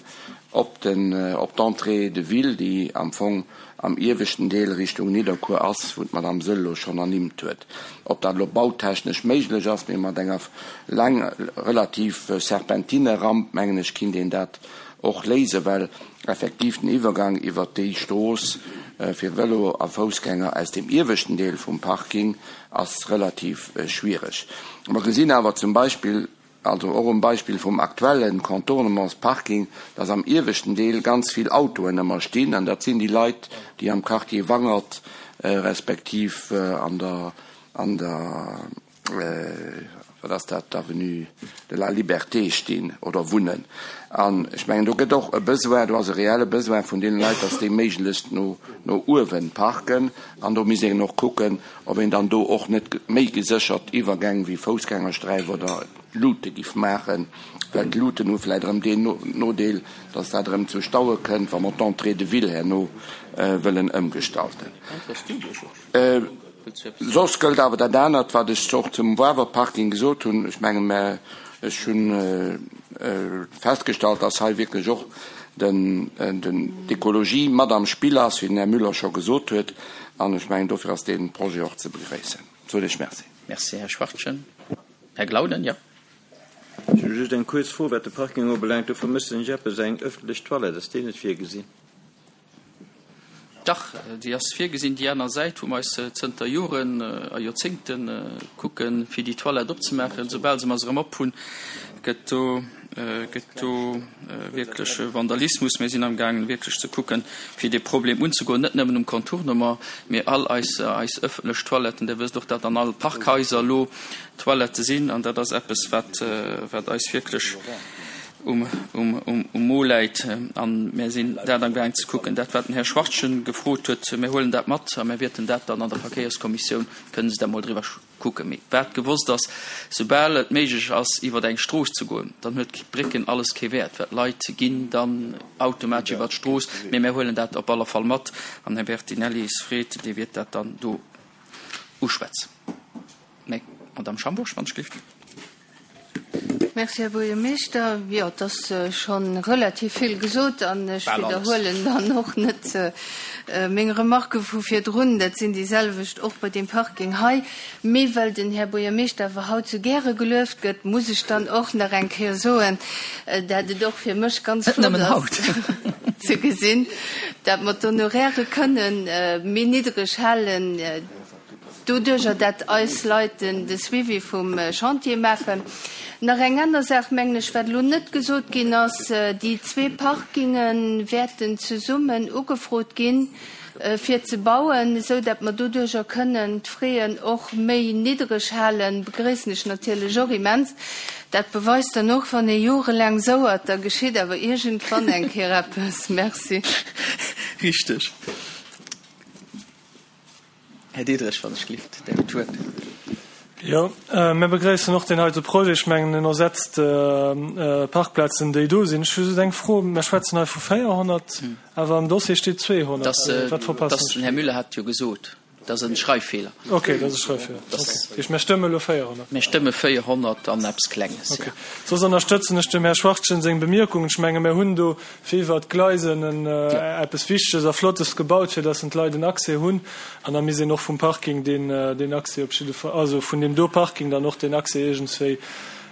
op den, op d'Entrée de ville, déi am Fong am ieweschten Deel Richtung Nidderkuer ass, wou d'Madame Saeul elo schonn ernimmt huet. Ob dat elo bautechnesch méiglech ass, mee mat enger laang, relativ serpentine Ramp, mengen ech, kinnt een dat och léisen, well effektiv den Iwwergang iwwert déi Strooss fir Vëlo a Foussgänger aus dem ieweschten Deel vum Parking ass relativ schwiereg. Mer gesinn awer zum Beispill, also och um Beispill vum aktuelle Contournementsparking, dass am ieweschten Deel ganz vill Autoen ëmmer stinn, an dat sinn déi Leit, déi am Quartier Wangert respektiv an der, an der, wat ass dat, Avenue de la Liberté stinn oder wunnen. An ech mengen, do gëtt och e Besoin, do ass e reelle Besoin vun deene Leit, dass déi méiglechst no, no uewe parken. An do misst een och kucken, ob een dann do och net méi geséchert Iwwergäng wéi Foussgängersträif oder Luute giff maachen, well d'Luuten hu vläicht erëm deen Nodeel, dass dat erëm zu Staue kënnt, wa mer d'Entrée de ville herno wëllen ëmgestalten. Soss gëllt awer dat anert, wat ech och zum Wawer Parking gesot hunn. Ech menge mä ech hu festgestallt, dass hei wierklech och den, den, d'Ekologie mat am Spill ass, wéi den Här Müller scho gesot huet. An ech mengen, dofir ass dee Projet och ze begréissen. Soen ech Merci. Merci, Här Schwachtgen. Här Glauden, jo. Ech hu just eng kuerz Fro, wat de Parking ubelaangt. Do vermëssen ech eppes, eng ëffentlech Toilette. Ass déi net virgesinn? Dach, déi ass virgesinn. Déi aner Säit, wou mer eis zënter Joren a Joerzéngte kucken, fir déi Toilette opzemaachen, soubal se mer se erëm op hunn, gëtt do, gëtt do wierklech Vandalismus. Mir sinn amgaangen, wierklech ze kucken, fir dee Problem unzegoen, net nëmmen um Contournement, mee all eis, eis ëffentlech Toiletten. Dir wësst och, datt an all Parkhaiser elo Toilettë sinn, an dat ass eppes, wat, wat eis wierklech um, um, um, um Mo läit. An mir sinn dat amgaang ze kucken. Dat, wat den Här Schwachtgen gefrot huet, mir huelen dat mat a mir wäerten dat dann an der Verkéierskommissioun, kënnen se da mol driwwer kucken. Mee wat gewosst ass, soubal et méiglech ass, iwwer eng Strooss ze goen, dann huet d'Brécken alles kee Wäert, well d'Leit ginn dann automatesch iwwer d'Strooss. Mee mir huelen dat op alle Fall mat an Här Bertinelli is freet, dee wäert dat dann do uschwätzen. Mä, Madame Schambourg, wann ech gelift. Merci, Här Buergermeeschter. Jo, et ass scho relativ vill gesot an ech widderhuelen dann och net meng Remarquë vu virdrun. Dat sinn déi selwecht och bei deem Parking hei. Mee well den Här Buergermeeschter awer haut sou gäre gelueft gëtt, muss ech dann och nach eng Kéier soen, dat et och fir mech ganz flott ass ze gesinn, dat mer d'Honorairë kënnen méi niddreg halen, Doduerjer dat eis Leit de Suivi vum Chantier maachen. Nach eng aner Saach, mengen ech, wat elo net gesot ginn ass, Déi zwee Parkinge wäerten zesummen ugefrot ginn, fir ze bauen, esou dat mer doduerjer kënnen d'Fraisen och méi niddreg halen. Begréissen ech natierlech och immens. Dat beweist dann och, wann ee jorelaang souert, da geschitt awer iergendwann eng Kéier eppes. Merci. Richteg. Här Diderich, wann ech gelift, Dir hutt d'Wuert. Jo, mir begréissen och deen heite Projet. Ech mengen, en ersetzt Parkplazen, déi do sinn. Ech hu just eng Fro, Mir schwätzen hei vu véierhonnert, awer am Dossier steet zweehonnert. Wat verpassen ech? Den Här Müller hat jo gesot, dat ass e Schreiffeeler. Okay, dat ass e Schreiffeeler. Okay. Dat heescht, mir stëmme elo véierhonnert. Mir stëmme véierhonnert an eppes Klenges, jo. Okay. Soss ënnerstëtzen ech dem Här Schwachtgen seng Bemierkungen. Ech menge mir hunn do fir iwwert d'Gleisen en eppes Wichteges a Flottes gebaut, fir dass en d'Leit en Accès hunn. An da misst een och vum Parking deen, deen Accès op jidde Fall, also vun deem do Parking dann och deen Accès iergendswéi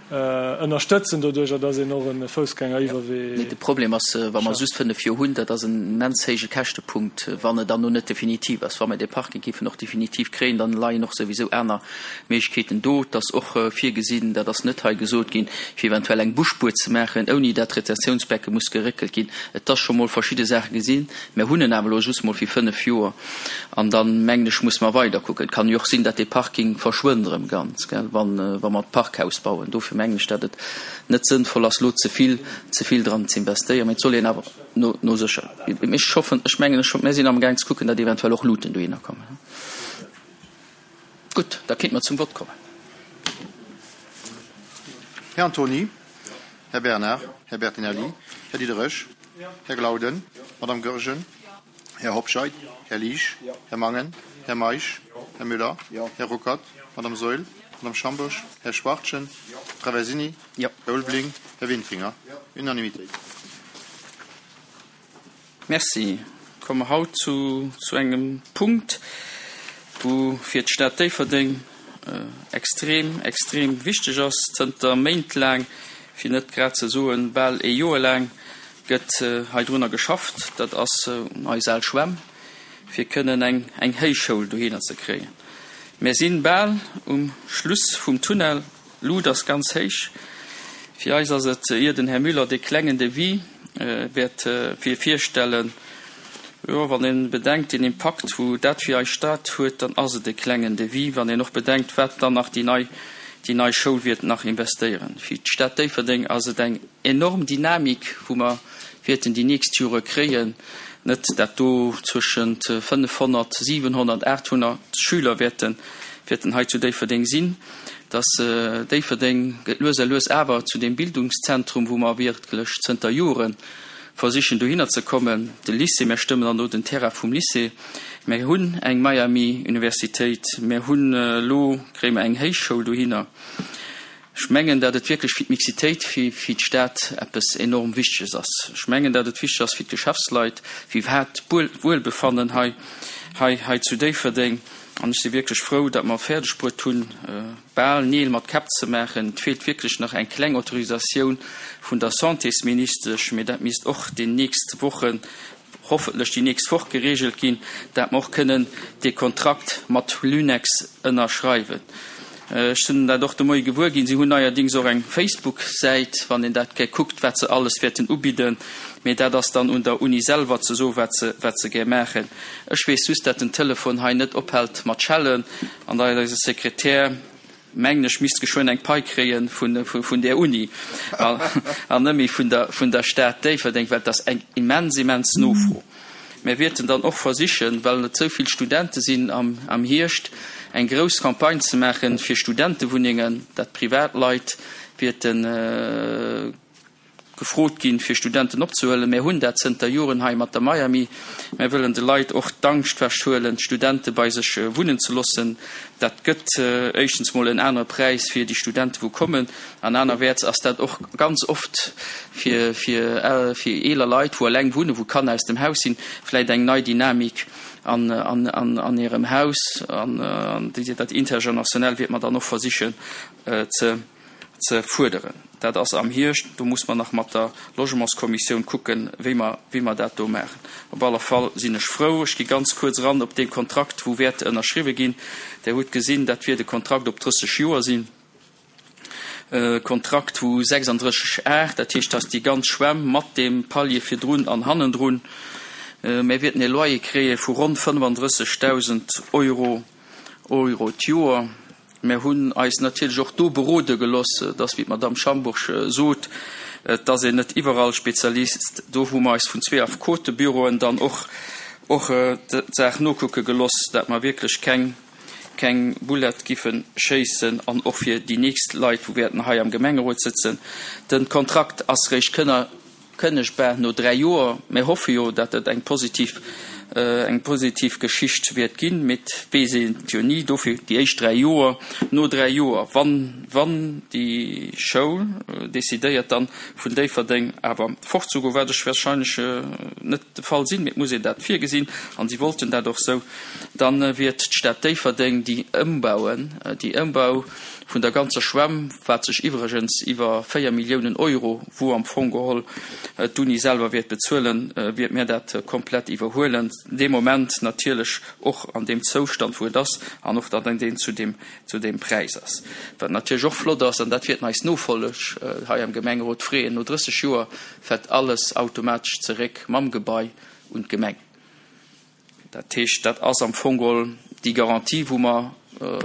ënnerstëtzen, doduerjer dass een och e Foussgängeriwwerwee. Mee de Problem ass, wa mer just fënnef Joer hunn, dat ass en immens héije Käschtepunkt, wann et dann no net definitiv ass. Wa mer dee Parking géifen och definitiv kréien, dann leien och souwisou aner Méiglechkeeten do. Et ass och virgesinn, dat ass net hei gesot ginn, fir eventuell eng Busspuer ze maachen, ouni dat d'Retentiounsbecke muss geréckelt ginn. Et ass scho mol verschidde Saache gesinn. Mer hunn en awer elo just mol fir fënnef Joer an dann, mengen ech, muss mer weiderkucken. Et kann jo och sinn, dat dee Parking verschwënnt erëm ganz, gell, wann, wa mer d'Parkhaus bauen. Dofir mengen ech, dat et net sënnvoll ass, elo ze vill, ze vill dran ze investéieren. Mee et soll een awer no, no sécher. Mee ech hoffen, ech mengen, ech, mer sinn amgaang ze kucken, dat eventuell och Luuten dohinner kommen. Gutt, da kéinte mer zum Vott kommen. Här Antony, Här Bernard, Här Bertinelli, Här Diderich, Här Glauden, Madame Goergen, Här Hobscheit, Här Liesch, Här Mangen, Här Meisch, Här Müller, Här Ruckert, Madame Saeul, Madame Schambourg, Här Schwachtgen, Traversini, Här Ulveling, Här Windfinger. Unanimitéit. Merci. Komme mer haut zu zu engem Punkt, wou fir d'Stad Déifferdeng extrem, extrem wichteg ass. Zënter Méint laang, fir net grad ze soen bal ee Joer laang, gëtt hei drunner geschafft, dat ass eis al Schwämm, fir kënnen eng eng Héichschoul dohinner ze kréien. Mär sinn bal um Schluss vum Tunnel, d'Lut ass ganz héich. Fir eis ass et, ier den Här Müller dee klengen Devis wäert fir virstellen, jo, wann ee bedenkt den Impakt wou dat fir eis Stad huet, dann ass et e klengen Devis, wann een och bedenkt, wat dann nach déi nei déi nei Schoul wäert nach investéieren. Fir d'Stad Déifferdeng ass et eng enorm Dynamik, wou mer wäerten déi nächst Jore kréien, net dat do zwëschent fënnefhonnert, siwenhonnert, aathonnert Schüler wäerten wäerten hei zu Déifferdeng sinn, dass Déifferdeng gëtt lues a lues awer zu deem Bildungszentrum, wou mer wierklech zënter Jore versichen dohinner ze kommen. De Lycée, mir stëmmen dann do den Terrain vum Lycée, mir hunn eng Miami-Universitéit, mir hunn elo, kréie mer eng Héichschoul dohinner. Ech mengen, datt et wierklech fir d'Mixitéit, fir fir d'Stad eppes enorm Wichteges ass. Ech mengen, datt et wichteg ass fir d'Geschäftsleit, fir iwwerhaapt d'Wuelbefannen hei hei hei zu Déifferdeng. An ech si wierklech frou, datt mer fäerdeg bruet hunn, bal Neel mat Käpp ze maachen. Et feelt wierklech nach eng kleng Autorisatioun vun der Santésministesch, mee dat misst och déi nächst Wochen, hoffentlech déi nächst Woch geregelt ginn, dat mer och kënnen dee Kontrakt mat Lunex ënnerschreiwen. Ech sinn dat och de Moie gewuer ginn, si hunn neierdings och eng Facebook-Säit, wann een dat gär kuckt, wat se alles wäerten ubidden. Mee dat ass dann un der Uni selwer ze soen, wat se, wat se gär maachen. Ech weess just, dat den Telefon hei net ophält mat schellen an datt eise Sekretär, mengen ech, misst geschwënn eng Pai kréie vun, vun där Uni an net méi vun der, vun der Stad Déifferdeng, well et ass eng immens, immens Nofro. Mir wäerten dann och versichen, well et esou vill Studente sinn am, am Hierscht, eng grouss Campagne ze maache fir Studentewunnengen, dat Privatleit wäerte gefrot ginn, fir Studenten opzehuelen. Mir hunn dat zënter Joren hei mat der Miami. Mir wëllen de Leit och d'Angscht wechhuelen, Studente bei sech wunnen ze loossen. Dat gëtt éischtens mol en anere Präis fir déi Studente wou kommen, an anerwäerts ass dat och ganz oft fir, fir, fir eeler Leit, wou eleng wunnen, wou d'Kanner aus dem Haus sinn, vläicht eng nei Dynamik an, an, an, an hirem Haus. An, an dat Intergenerationell wäerte mer dann och versichen ze, ze fuerderen. Dat ass am Hierscht, do muss mer nach mat der Logementskommissioun kucken, wéi mer, wéi mer dat do maachen. Op alle Fall sinn ech frou. Ech gi ganz kuerz eran op dee Kontrakt, wou wäert ënnerschriwwe ginn. Der hutt gesinn, dat wier de Kontrakt op drësseg Joer sinn. E Kontrakt, wou sechsunddrësseg aacht, dat heescht, dass déi ganz Schwämm mat deem Palier virdrun an hannendrun, mir wäerten e Loyer kréie vu ronn fënnefandrëssegdausend Euro, Euro d'Joer. Mir hunn eis natierlech och do berode geloss, dass, wéi d'Madamm Schambourg sot, et ass een net iwwerall Spezialist. Do hu mer eis vun zwee Affekotebüroen dann och och d'Saach nokucke geloss, dat mer wierklech keng keng Boulette giffe schéissen an och fir déi nächst Leit, wou wäerten hei am Gemengerot sëtzen. De Kontrakt ass réischt kënner kënnegbar no dräi Joer. Mir hoffe jo, datt et eng positiv, eng positiv Geschicht wäert ginn, mee et weess een et jo ni. Dofir déi éischt dräi Joer. No dräi Joer, wann, wann déi Schoul decidéiert dann vun Déifferdeng awer fortzegoen, wat ech wahrscheinlech net de Fall sinn, mee et muss een dat virgesinn, an si wollten dat och esou, dann wiert d'Stad Déifferdeng déi Ëmbauen, déi Ëmbau vun der ganzer Schwämm, wat sech iwwregens iwwer véier Milliounen Euro, wou am Fong geholl d'Uni selwer wäert bezuelen, wäert mir dat komplett iwwerhuelen, dee Moment natierlech och an deem Zoustand, wou et ass, an och dann deen zu deem, zu deem Präis ass. Wat natierlech och flott ass, an dat wäerten eis Nofolleg hei am Gemengerot freeën, no drësseg Joer fält alles automatesch zeréck mam Gebai un d'Gemeng. Dat heescht, dat ass am Fong geholl déi Garantie, wou mer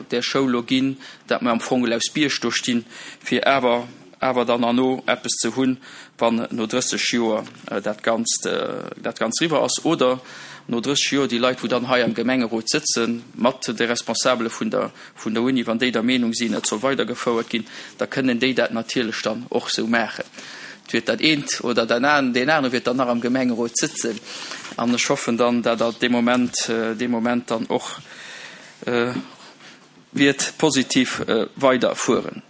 där Schoul elo ginn, dat mer am Fong geholl aus Bierg do stinn, fir awer awer dann herno eppes ze hunn, wann no drësseg Joer dat Ganzt dat Ganzt eriwwer ass oder no drësseg Joer déi Leit, wou dann hei am Gemengerot sëtzen, mat de Responsabele vun der vun der Uni, wann déi der Meenung sinn, et soll weidergefouert ginn, da kënnen déi dat natierlech dann och esou maachen. Et wiert dat eent oder dat an, deen anere wiert dann nach am Gemengerot sëtzen. An ech hoffen dann, dat Der dee Moment, dee Moment dann och wiert positiv weiderfueren.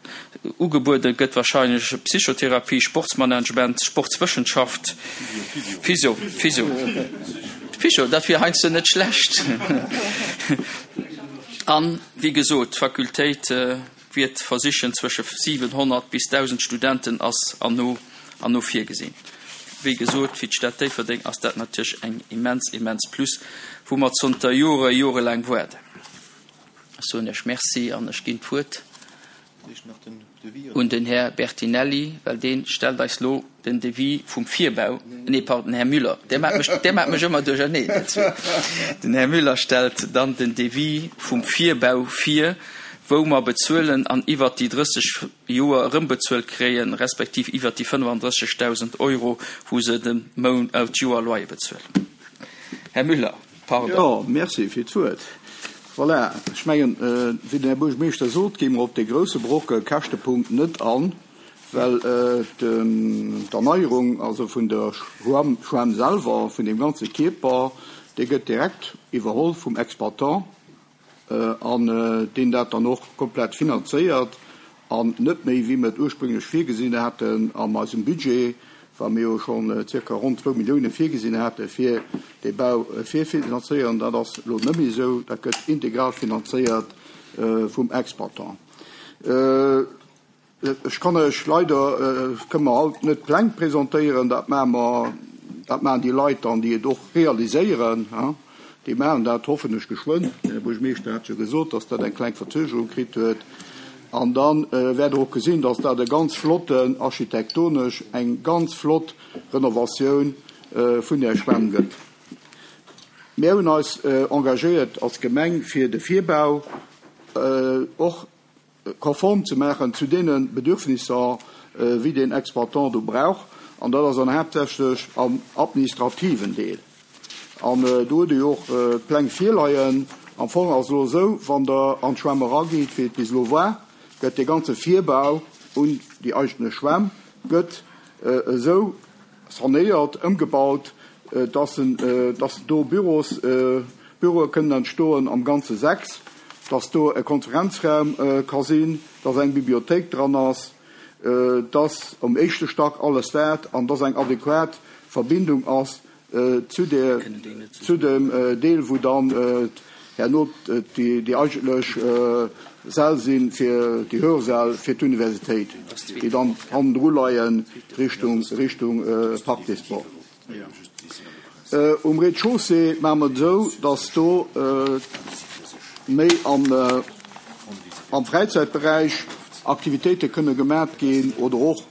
Ugebuede gëtt wahrscheinlech Psychotherapie, Sportsmanagement, Sportswëssenschaft, Physio, Physio, Physio, dat wier heiansdo net schlecht. An, wéi gesot, d'Fakultéit wiert versichen, zwësche siwenhonnert bis dausend Studenten ass an no an no virgesinn. wéi gesot, fir d'Stad Déifferdeng ass dat natierlech eng immens, immens Plus, wou mer zanter Jore, jorelaang waarden. Ech soen Iech Merci an ech ginn d'Wuert un den Här Bertinelli, well dee stellt eis lo den Devis vum Virbau, nee, pardon, den Här Müller, Dir maacht mech, Dir maacht mech ëmmer duercherneen, Dir zwee. Den Här Müller stellt dann den Devis vum Virbau vir, wou mer bezuelen an iwwert déi drësseg Joer erëmbezuelt kréien, respektiv iwwert déi fënnefandrëssegdausend Euro, wou se de Mount, d'Joer Loyer bezuelen. Här Müller, pardon. Jo, merci fir d'Wuert. Voilà, ech mengen, wéi den Här Buergermeeschter sot, gi mer op dee grouse Brocke Käschtepunkt net an, well d'Erneierung also vun der Schwämm, Schwämm selwer, vun deem ganze Kierper, dee gëtt direkt iwwerholl vum Exploitant an deen dat dann och komplett finanzéiert an net méi, wéi mer et ursprünglech virgesinn haten an eisem Budget, wa mir jo schonn zirka ronn zwou Millioune virgesinn hate fir dee Bau virfinanzéieren. Dat ass elo net méi esou, dat gëtt integral finanzéiert vum Exploitant. Ech kann Iech leider, kënne mer haut net d'Pläng presentéieren, dat maache mer, dat maachen déi Leit dann, déi et och realiséieren, déi maachen dat hoffen ech geschwënn. Den Här Buergermeeschter hat jo gesot, datt dat eng kleng Verzögerung kritt huet. An dann wäert Der och gesinn, dass dat e ganz flotten, architektonesch eng ganz flott Renovatioun vun där Schwämm gëtt. Mir hunn eis engagéiert als Gemeng, fir de Virbau och konform ze maachen zu deene Bedürfnisser, wéi den Exploitant do brauch. An dat ass dann haaptsächlech am administrativen Deel. An do hutt Der jo och d'Pläng virleien. Am Fong ass et elo esou, wann Der an d'Schwämm eragitt, wéi et bis elo war, gëtt dee ganze Virbau un déi eigentlech Schwämm gëtt esou sanéiert, ëmgebaut, dass en, dass do Büros, Büroe kënnen entstoen, am Ganze sechs, dass do e Konferenzraum ka sinn, dass eng Bibliothéik dran ass, dass um éischte Stack alles dat an dass eng adequat Verbindung ass zu der, zu dem Deel, wou dann herno déi, déi eigentlech Säll sinn fir déi Hörsäll fir d'Universitéit, déi dann hannendru leien Richtung, Richtung Parc des Sports. Um Rez-de-chaussée maache mer et esou, dass do méi am, am Fräizäitberäich Aktivitéite kënne gemat ginn oder och,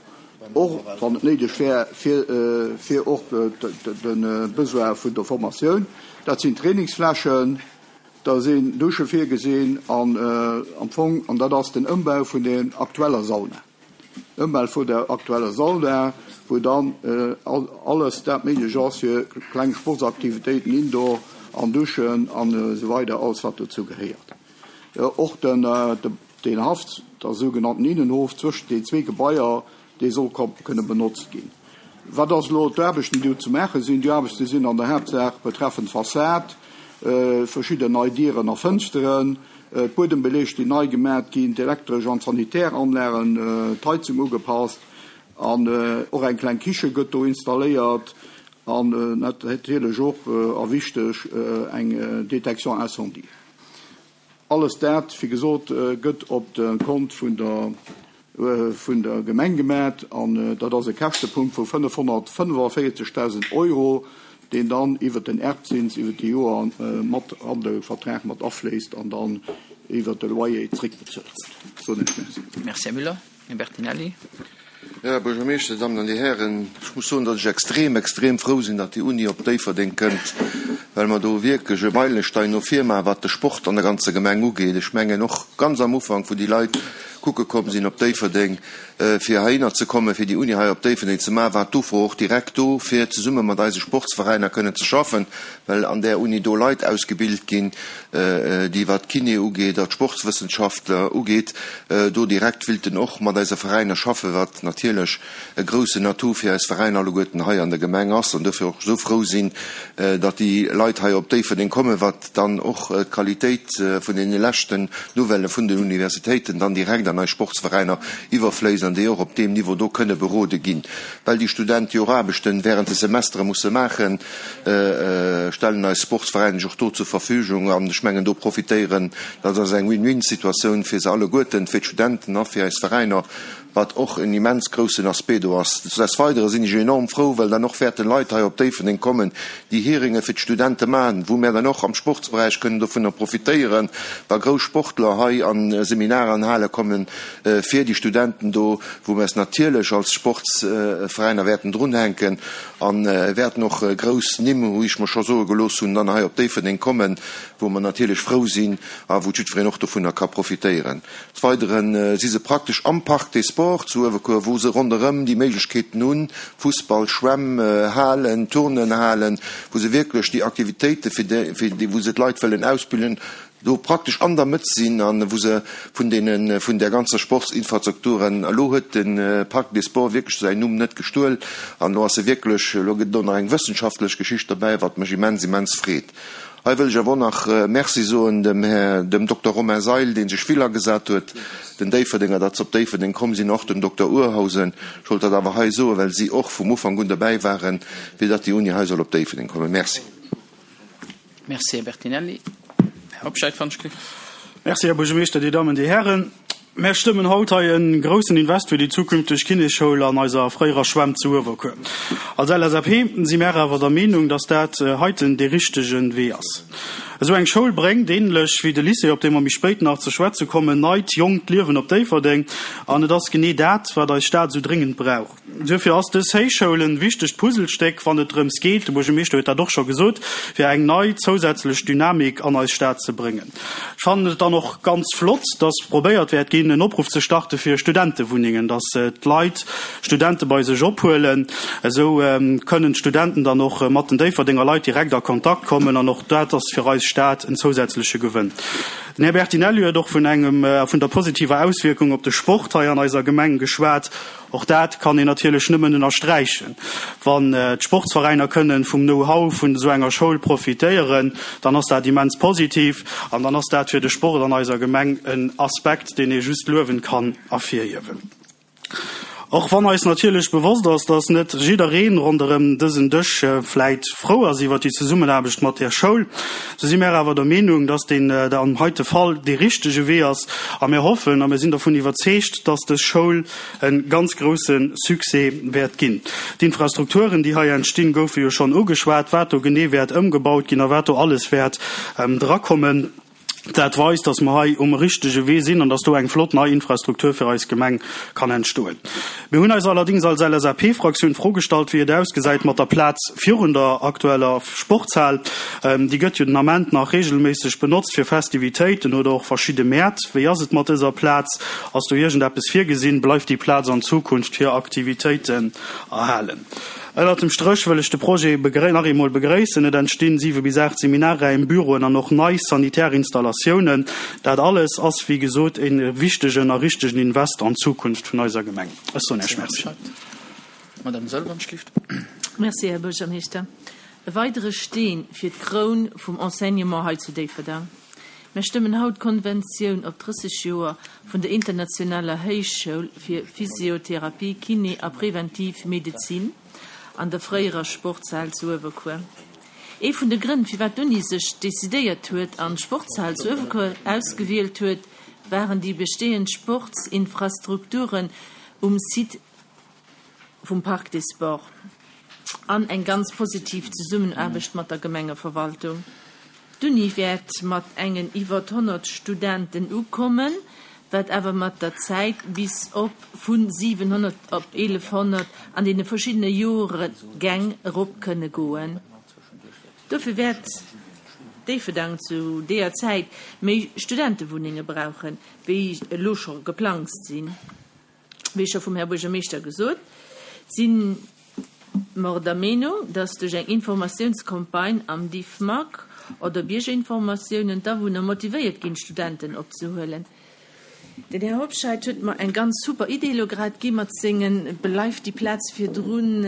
och wann et néideg wär, fir, fir och de Besoin vun der Formatioun. Dat sinn Trainingsflächen, da sinn Dusche virgesinn an am Fong, an dat ass den Ëmbau vun der aktueller Sauna. Ëmbau vun der aktueller Sauna, wou dann alles dat méiglech ass fir kleng Sportsaktivitéiten indoor an Duschen an esou weider, alles wat dozou gehéiert. Och den, den Haff, der sougenannten Innenhof zwëschent den zwee Gebaier, dee soll kënne benotzt ginn. Wat ass elo d'Aarbechten, déi do ze maache sinn? Déi Aarbechte sinn an der Haaptsaach betreffend Fassad, verschidden nei Dieren a Fënsteren, d'Buedembeleg, déi nei gemat ginn, d'elektresch an d'sanitär Anlagen, d'Heizung ugepasst an och eng kleng Kiche gëtt do installéiert an natierlech och, a wichteg, eng Détection incendie. Alles dat, wéi gesot, gëtt op de Kont vun der vun der Gemeng gemat an dat ass e Käschtepunkt vu fënnefhonnertfënnefavéierzegdausend Euro, deen dann iwwert den Erbzins iwwert déi Joer mat an de Vertrag mat afléisst an dann iwwert de Loyer zréckbezuelt gëtt. Soen ech Merci. Merci, Här Müller. Här Bertinelli. Här Buergermeeschter, Dir Dammen an Dir Hären, ech muss soen, datt ech extrem, extrem frou sinn, datt déi Uni op Déifferdeng kënnt, well mer do wierklech e Meilestein no vir maachen, wat de Sport an der ganzer Gemeng ugeet. Ech mengen och ganz am Ufank, wou déi Leit kucke komm sinn op Déifferdeng, fir heihinner ze kommen, fir déi Uni hei op Déifferdeng ze maachen, war d'Ufro och direkt do, fir zesumme mat eise Sportsveräiner kënnen ze schaffen, well an där Uni do Leit ausgebilt ginn, déi, wat d'Kiné ugeet a d'Sportswëssenschaftler ugeet, do direkt willten och mat eise Veräiner schaffen, wat natierlech e groussen Atout fir eis Veräiner alleguerten hei an der Gemeng ass, an dofir och esou frou sinn, datt déi Leit hei op Déifferdeng kommen, wat dann och d'Qualitéit vun deene leschten Nouvellë vun den Universitéiten dann direkt an an eis Sportsveräiner iwwerfléisst an déi och op deem Niveau do kënne berode ginn. Well déi Studente jo och Aarbechten während de Semestere musse maachen, stellen eis Sportsveräiner sech och do zur Verfügung an ech mengen do profitéieren, dat ass eng Win-win-Situatioun fir se alleguerten, fir d'Studenten a fir eis Veräiner, wat och en immens groussen Aspect do ass. Des Weidere sinn ech enorm frou, well dann och wäerten Leit hei op Déifferdeng kommen, déi Hearinge fir d'Studente maachen, wou mär dann och am Sportsberäich kënnen dovunner profitéieren, wa grouss Sportler hei a Seminarer an Hale kommen fir déi Studenten do, wou mär es natierlech als Sportsveräiner wäerten drunhänken a wäerten och grouss Nimm, wou ech mer scho soe gelooss hunn, dann hei op Déifferdeng kommen, wou mer natierlech frou sinn a wou jiddwereen och dovunner ka profitéieren. Des Weidere si se praktesch am Parc des Sports zu Uewerkuer, wou se ronderëm déi Méiglechkeeten hunn, Fussball, Schwämm, Halen, Turnenhalen, wou se wierklech déi Aktivitéite fir déi, wou se d'Leit wëllen ausbilden, do praktesch an der Mëtt sinn a wou se vun deene, vun där ganzer Sportsinfrastruktur, elo huet de Parc des Sports wierklech säin Numm net gestuel an elo ass e wierklech, elo gëtt et och nach eng wëssenschaftlech Geschicht derbäi, wat mech immens, immens freet. Hei wëll ech awer och nach Merci soen dem Här, dem Dokter Romain Seil, dee sech vill agesat huet, den Déifferdenger, datt se op Déifferdeng komm sinn, och dem Dokter Urhausen. Ech wollt dat awer hei soen, well si och vum Ufank un derbäi waren, fir datt déi Uni hei soll op Déifferdeng kommen. Merci. Merci, Här Bertinelli. Här Hobscheit, wann ech kritt. Merci, Här Buergermeeschter, Dir Dammen, Dir Hären. Mär stëmmen haut hei e groussen Invest fir déi zukünfteg Kinésschoul an eiser fréierer Schwämm zu Uewerkuer. Als L S A P si mär awer der Meenung, dass dat heiten dee richtege Wee ass. Esou eng Schoul bréngt, ähnlech wéi de Lycée, op dee mer méi spéit nach ze schwätze kommen, neit, jonkt Liewen op Déifferdeng. An et ass genee dat, wat eis Stad esou dréngend brauch. Duerfir ass dës Héichschoul en wichtegt Puzzlestéck, wann et drëms geet, de Buergermeeschter huet dat och scho gesot, fir eng nei zousätzlech Dynamik an eis Stad ze bréngen. Ech fannen et dann och ganz flott, dass probéiert wäert ginn, en Opruff ze starte fir Studentewunnengen, dass d'Leit Studente bei sech ophuelen. Esou kënnen d'Studenten dann och mat den Déifferdenger Leit direkt a Kontakt kommen an och dat ass fir eis Stad en zousätzleche Gewënn. Den Här Bertinelli huet och vun engem, vun der positiver Auswierkung op de Sport hei an eiser Gemeng geschwat. Och dat kann een natierlech nëmmen ënnersträichen. Wann d'Sportsveräiner kënnen vum Know-how vun esou enger Schoul profitéieren, dann ass dat immens positiv an dann ass dat fir de Sport an eiser Gemeng en Aspekt, deen ee just luewend kann ervirhiewen. Och wann eis natierlech bewosst ass, dass net jiddereen ronderëm dësen Dësch vläit frou ass iwwer déi Zesummenaarbecht mat där Schoul, sou si mär awer der Meenung, dass deen am heite Fall dee richtege Wee ass a mir hoffen a mir sinn dervun iwwerzeegt, dass dës Schoul e ganz grousse Succès wäert ginn. D'Infrastrukturen, déi hei entstinn, goufe jo schonn ugeschwat, wat do genee wäert ëmgebaut ginn a wat do alles wäert drakommen. Dat weist, dass mer hei um richtege Wee sinn an dass do eng flott nei Infrastruktur fir eis Gemeng kann entstoen. Mir hunn eis allerdings als L S A P-Fraktioun d'Fro gestallt, wéi et ausgesäit mat der Plaz virun der aktueller Sportshal. Déi gëtt jo den Ament nach regelméisseg benotzt fir Festivitéiten oder och verschidde Mäert. Wéi ass et mat dëser Plaz? Ass do iergendeppes virgesinn? Bleift déi Plaz an Zukunft fir Aktivitéiten erhalen? Ënnert dem Stréch wëll ech de Projet nach eemol begréissen. Et entstinn siwe bis aacht Seminarräim, Büroen an och nei sanitär Installatiounen. Dat alles ass, wéi gesot, e wichtegen a richtegen Invest an d'Zukunft vun eiser Gemeng. Ech soen Iech Merci. Madame Sölvanschlift. Merci, Här Buergermeeschter. E weidere Steen fir d'Kroun vum Enseignement hei zu Déifferdeng. Mir stëmmen haut d'Konventioun op drësseg Joer vun der Internationaler Héichschoul fir Physiotherapie, Kiné a Präventiv Medezin an der fréierer Sportshal zu Uewerkuer. Ee vun de Grënn, firwat d'Uni sech decidéiert huet an d'Sportshal zu Uewerkuer ausgewielt huet, waren déi bestehend Sportsinfrastrukturen um Site vum Parc des Sports an eng ganz positiv Zesummenaarbecht mat der Gemengeverwaltung. D'Uni wäert mat engen iwwer honnert Studenten ukommen, wat awer mat der Zäit bis op vun siewenhonnert op elfhonnert an deene verschiddene Joregäng erop kënne goen. Dofir wäert Déifferdeng zu deeër Zäit méi Studentewunnenge brauchen, wéi elo scho geplangt sinn. Wéi scho vum Här Buergermeeschter gesot, sinn mer der Meenung, dass duerch eng Informatiounscampagne am Diffmag oder Biergerinformatiounen d'Awunner motivéiert ginn, Studenten opzehuelen. Den Här Hobscheit huet mer eng ganz super Idee elo grad gi mat sengen bleift die Plaz virdrun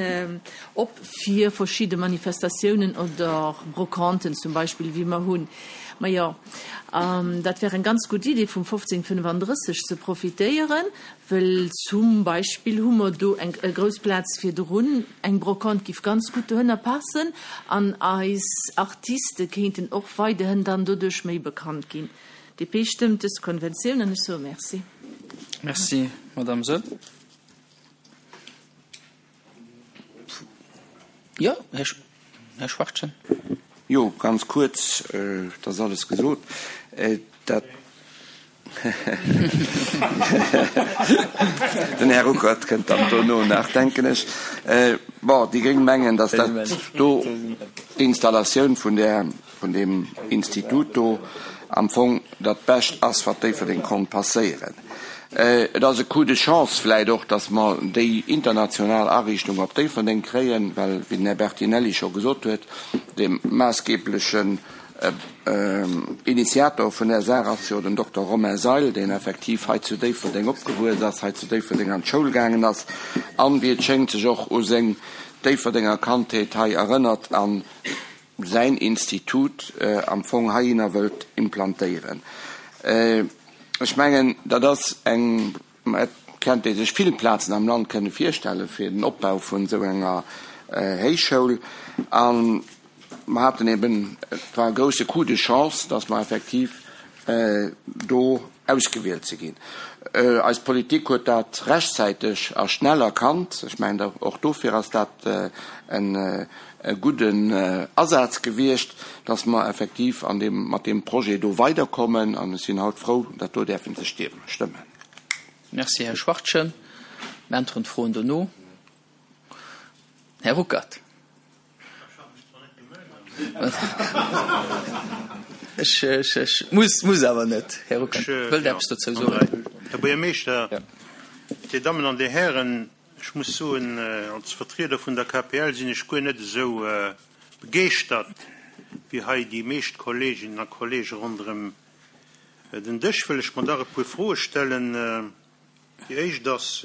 op fir verschiedene Manifestatiounen oder Brocanten zum Beispill, wie mer hunn. Ma jo, dat wär eng ganz gutt Idee, vum fofzéng fënnefandrësseg ze profitéieren, wëll zum Beispill hu mer do eng grouss Plaz virdrun, eng Brocante giff ganz gutt dohënner passen an eis Artiste kéinten och weiderhin dann doduerch méi bekannt ginn. D P stëmmt dës Konventioun an ech soe Merci. Merci, Madame Saeul. Jo, Här Schwachtgen. Jo, ganz kuerz, et ass alles gesot. Dat Den Här Ruckert kënnt dann dono nach, denken ech. Bon, déi Gréng mengen, datt dat do, d'Installatioun vun där, vun deem Institut do am Fong dat Bescht ass, wat Déifferdeng konnt passéieren. Et ass e Coup de chance vläicht och, datt mer déi international Ariichtung op Déifferdeng kréien, well, wéi den Här Bertinelli scho gesot huet, dee maassgeblechen Initiator vun där Saach ass jo den Dokter Romain Seil, deen effektiv hei zu Déifferdeng opgewuess ass, hei zu Déifferdeng an d'Schoul gaangen ass an, wéi et schéngt, sech och u seng Déifferdenger Kandheet hei erënnert a säin Institut am Fong heihinner wëllt implantéieren. Ech mengen, dat ass eng, et kennt ee sech vill Plazen am Land kënne virstelle fir den Opbau vun esou enger Héichschoul. A mer haten eben, et war e grouse Coup de chance, dass mer effektiv do ausgewielt si ginn. Eis Politik huet dat rechtzäiteg a schnell erkannt. Ech mengen, och dofir ass dat e gudden Asaz gewiescht, dass mer effektiv an deem, mat deem Projet do weiderkommen. An ech sinn haut frou, dat do däerfen ze stëmmen. Merci, Här Schwachtgen. Mir äntweren d'Froen dono. Här Ruckert. Ech, ech, ech muss, muss awer net. Här Ruckert, wëllt Der eppes dozou soen? Här Buergermeeschter, Dir Dammen an Dir Hären, ech muss soen, als Vertrieder vun der K P L sinn ech guer net esou begeeschtert wéi hei déi meescht Kolleeginnen a Kolleege ronderëm den Dësch. Wëll ech mer dach e puer Froe stellen. Déi éischt ass,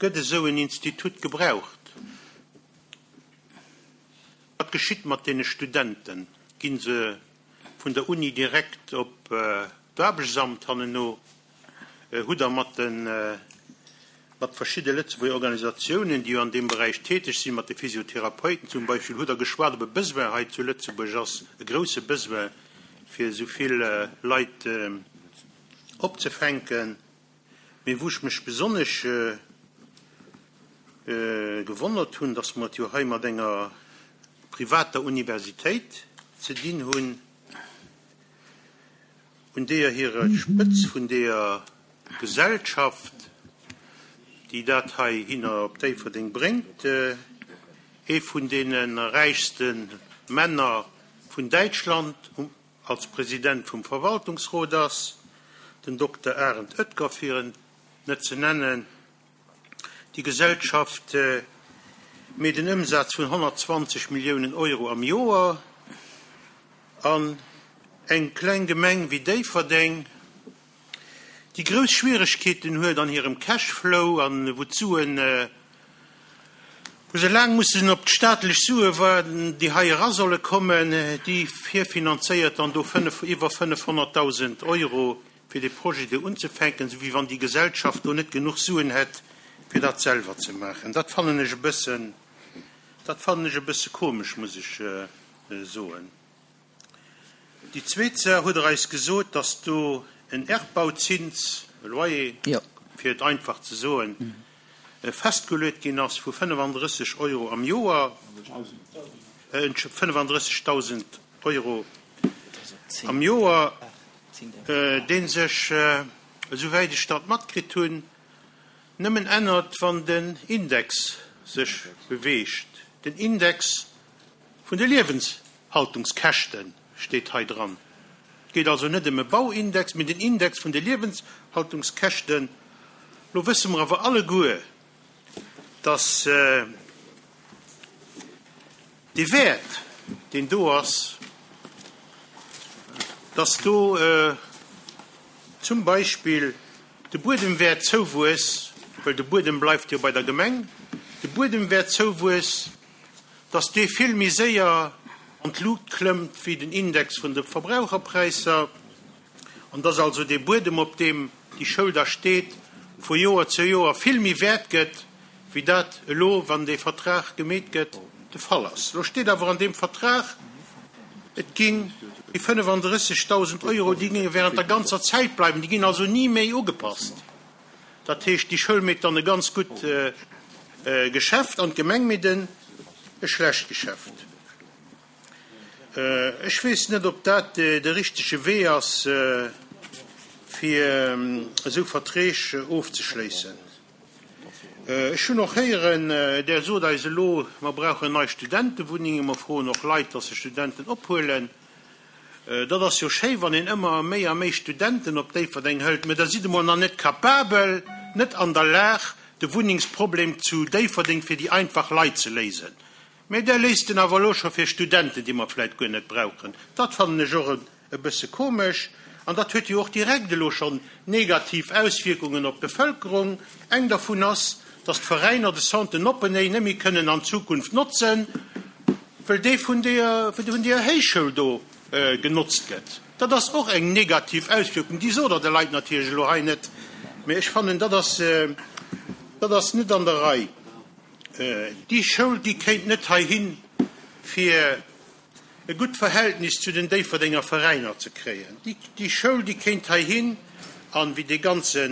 Gëtt esou en Institut gebraucht? Wat geschitt mat deene Studenten? Gi se vun der Uni direkt op d'Aarbechtsamt hanneno? Hutt Der mat de mat verschidde Lëtzebuerger Organisatiounen, déi jo an deem Beräich täteg sinn, mat de Physiotherapeuten zum Beispill, hutt Der geschwat, ob e Besoin hei zu Lëtzebuerg ass, e grouse Besoin, fir esou vill Leit opzefänken? Mee wou ech mech besonnesch gewonnert hunn, dass mer et jo hei mat enger privater Universitéit ze dinn hunn, un deeër hire Spëtz vun deeër Gesellschaft, déi dat heihinner op Déifferdeng bréngt, ee vun deene räichste Männer vun Däitschland als President vum Verwaltungsrot ass, den Dokter Arend Oetker, fir en net ze nennen. Déi Gesellschaft meet en Ëmsaz vun honnertzwanzeg Milliounen Euro am Joer an eng kleng Gemeng wéi Déifferdeng, déi grouss Schwieregkeeten huet an hirem Cashflow an wou d'Suen, wou se laang mussen op d'staatlech Sue waarden, déi hei era solle kommen, déi virfinanzéiert dann do fënnef, iwwer fënnefhonnertdausend Euro fir dee Projet do unzefänken, esou wéi wann déi Gesellschaft do net genuch Suen hätt, fir dat selwer ze maachen. Dat fannen ech e bëssen, dat fannen ech e bësse komesch, muss ech soen. Déi zweet Saach, hutt Der eis gesot, dass do en Erbbauzins, e Loyer, fir et einfach ze soen, festgeluet ginn ass vu fënnefandrësseg Euro am Joer, fënnefandrëssegdausend Euro am Joer, dee sech, esouwäit ech dat matkritt hunn, nëmmen ännert, wann den Index sech beweegt, den Index vun de Liewenshaltungskäschten steet hei dran. Et geet also net ëm e Bauindex, mee den Index vun de Liewenshaltungskäschten. Lo wësse mer awer alleguer, dass dee Wäert, deen do ass, dass do zum Beispill de Buedemwäertzouwuess, well de Buedem bleift jo bei der Gemeng, de Buedemwäertzouwuess, dass dee vill méi séier an d'Luucht klëmmt wéi den Index vun de Verbraucherpräisser, an dass also dee Buedem, op deem déi Schoul da steet, vu Joer zu Joer vill méi wäert gëtt, wéi dat elo, wann dee Vertrag gemeet gëtt, de Fall ass. Elo steet awer an deem Vertrag, et ginn déi fënnefandrëssegdausend Euro, déi géinge während der ganzer Zäit bleiwen, déi ginn also ni méi ugepasst. Dat heescht, déi Schoul mécht dann e ganz gutt Geschäft an d'Gemeng mécht e schlecht Geschäft. Ech weess net, ob dat de richtege Wee ass, fir esou Verträg ofzeschléissen. Ech hunn och héieren, Der sot eis elo, mer brauchen nei Studentewunnengen, mer froen och Leit, dass se Studenten ophuelen. Dat ass jo schéi, wann een ëmmer méi a méi Studenten op Déifferdeng hëlt, mä da sidd emol nach net capabel, net an der Lag, de Wunnengsproblem zu Déifferdeng fir déi einfach Leit ze léisen. Mä Der léist en awer elo scho fir Studenten, déi mer vläicht guer net brauchen. Dat fannen ech och e bësse komesch. An dat huet jo och direkt elo schonn negativ Auswierkungen op d'Bevëlkerung. Eng dervun ass, dass d'Veräiner de Centre Noppeney net méi kënnen an Zukunft notzen, well dee vun deeër, vun deeër Héichschoul do genotzt gëtt. Dat ass och eng negativ Auswierkung. Déi sot Der de Leit natierlech elo hei net, mä ech fannen, dat ass, dat ass net an der Rei. Déi Schoul, déi kéint net heihin, fir e gutt Verhältnis zu den Déifferdenger Veräiner ze kréien. Déi Schoul, déi kéint heihin, an wéi dee ganze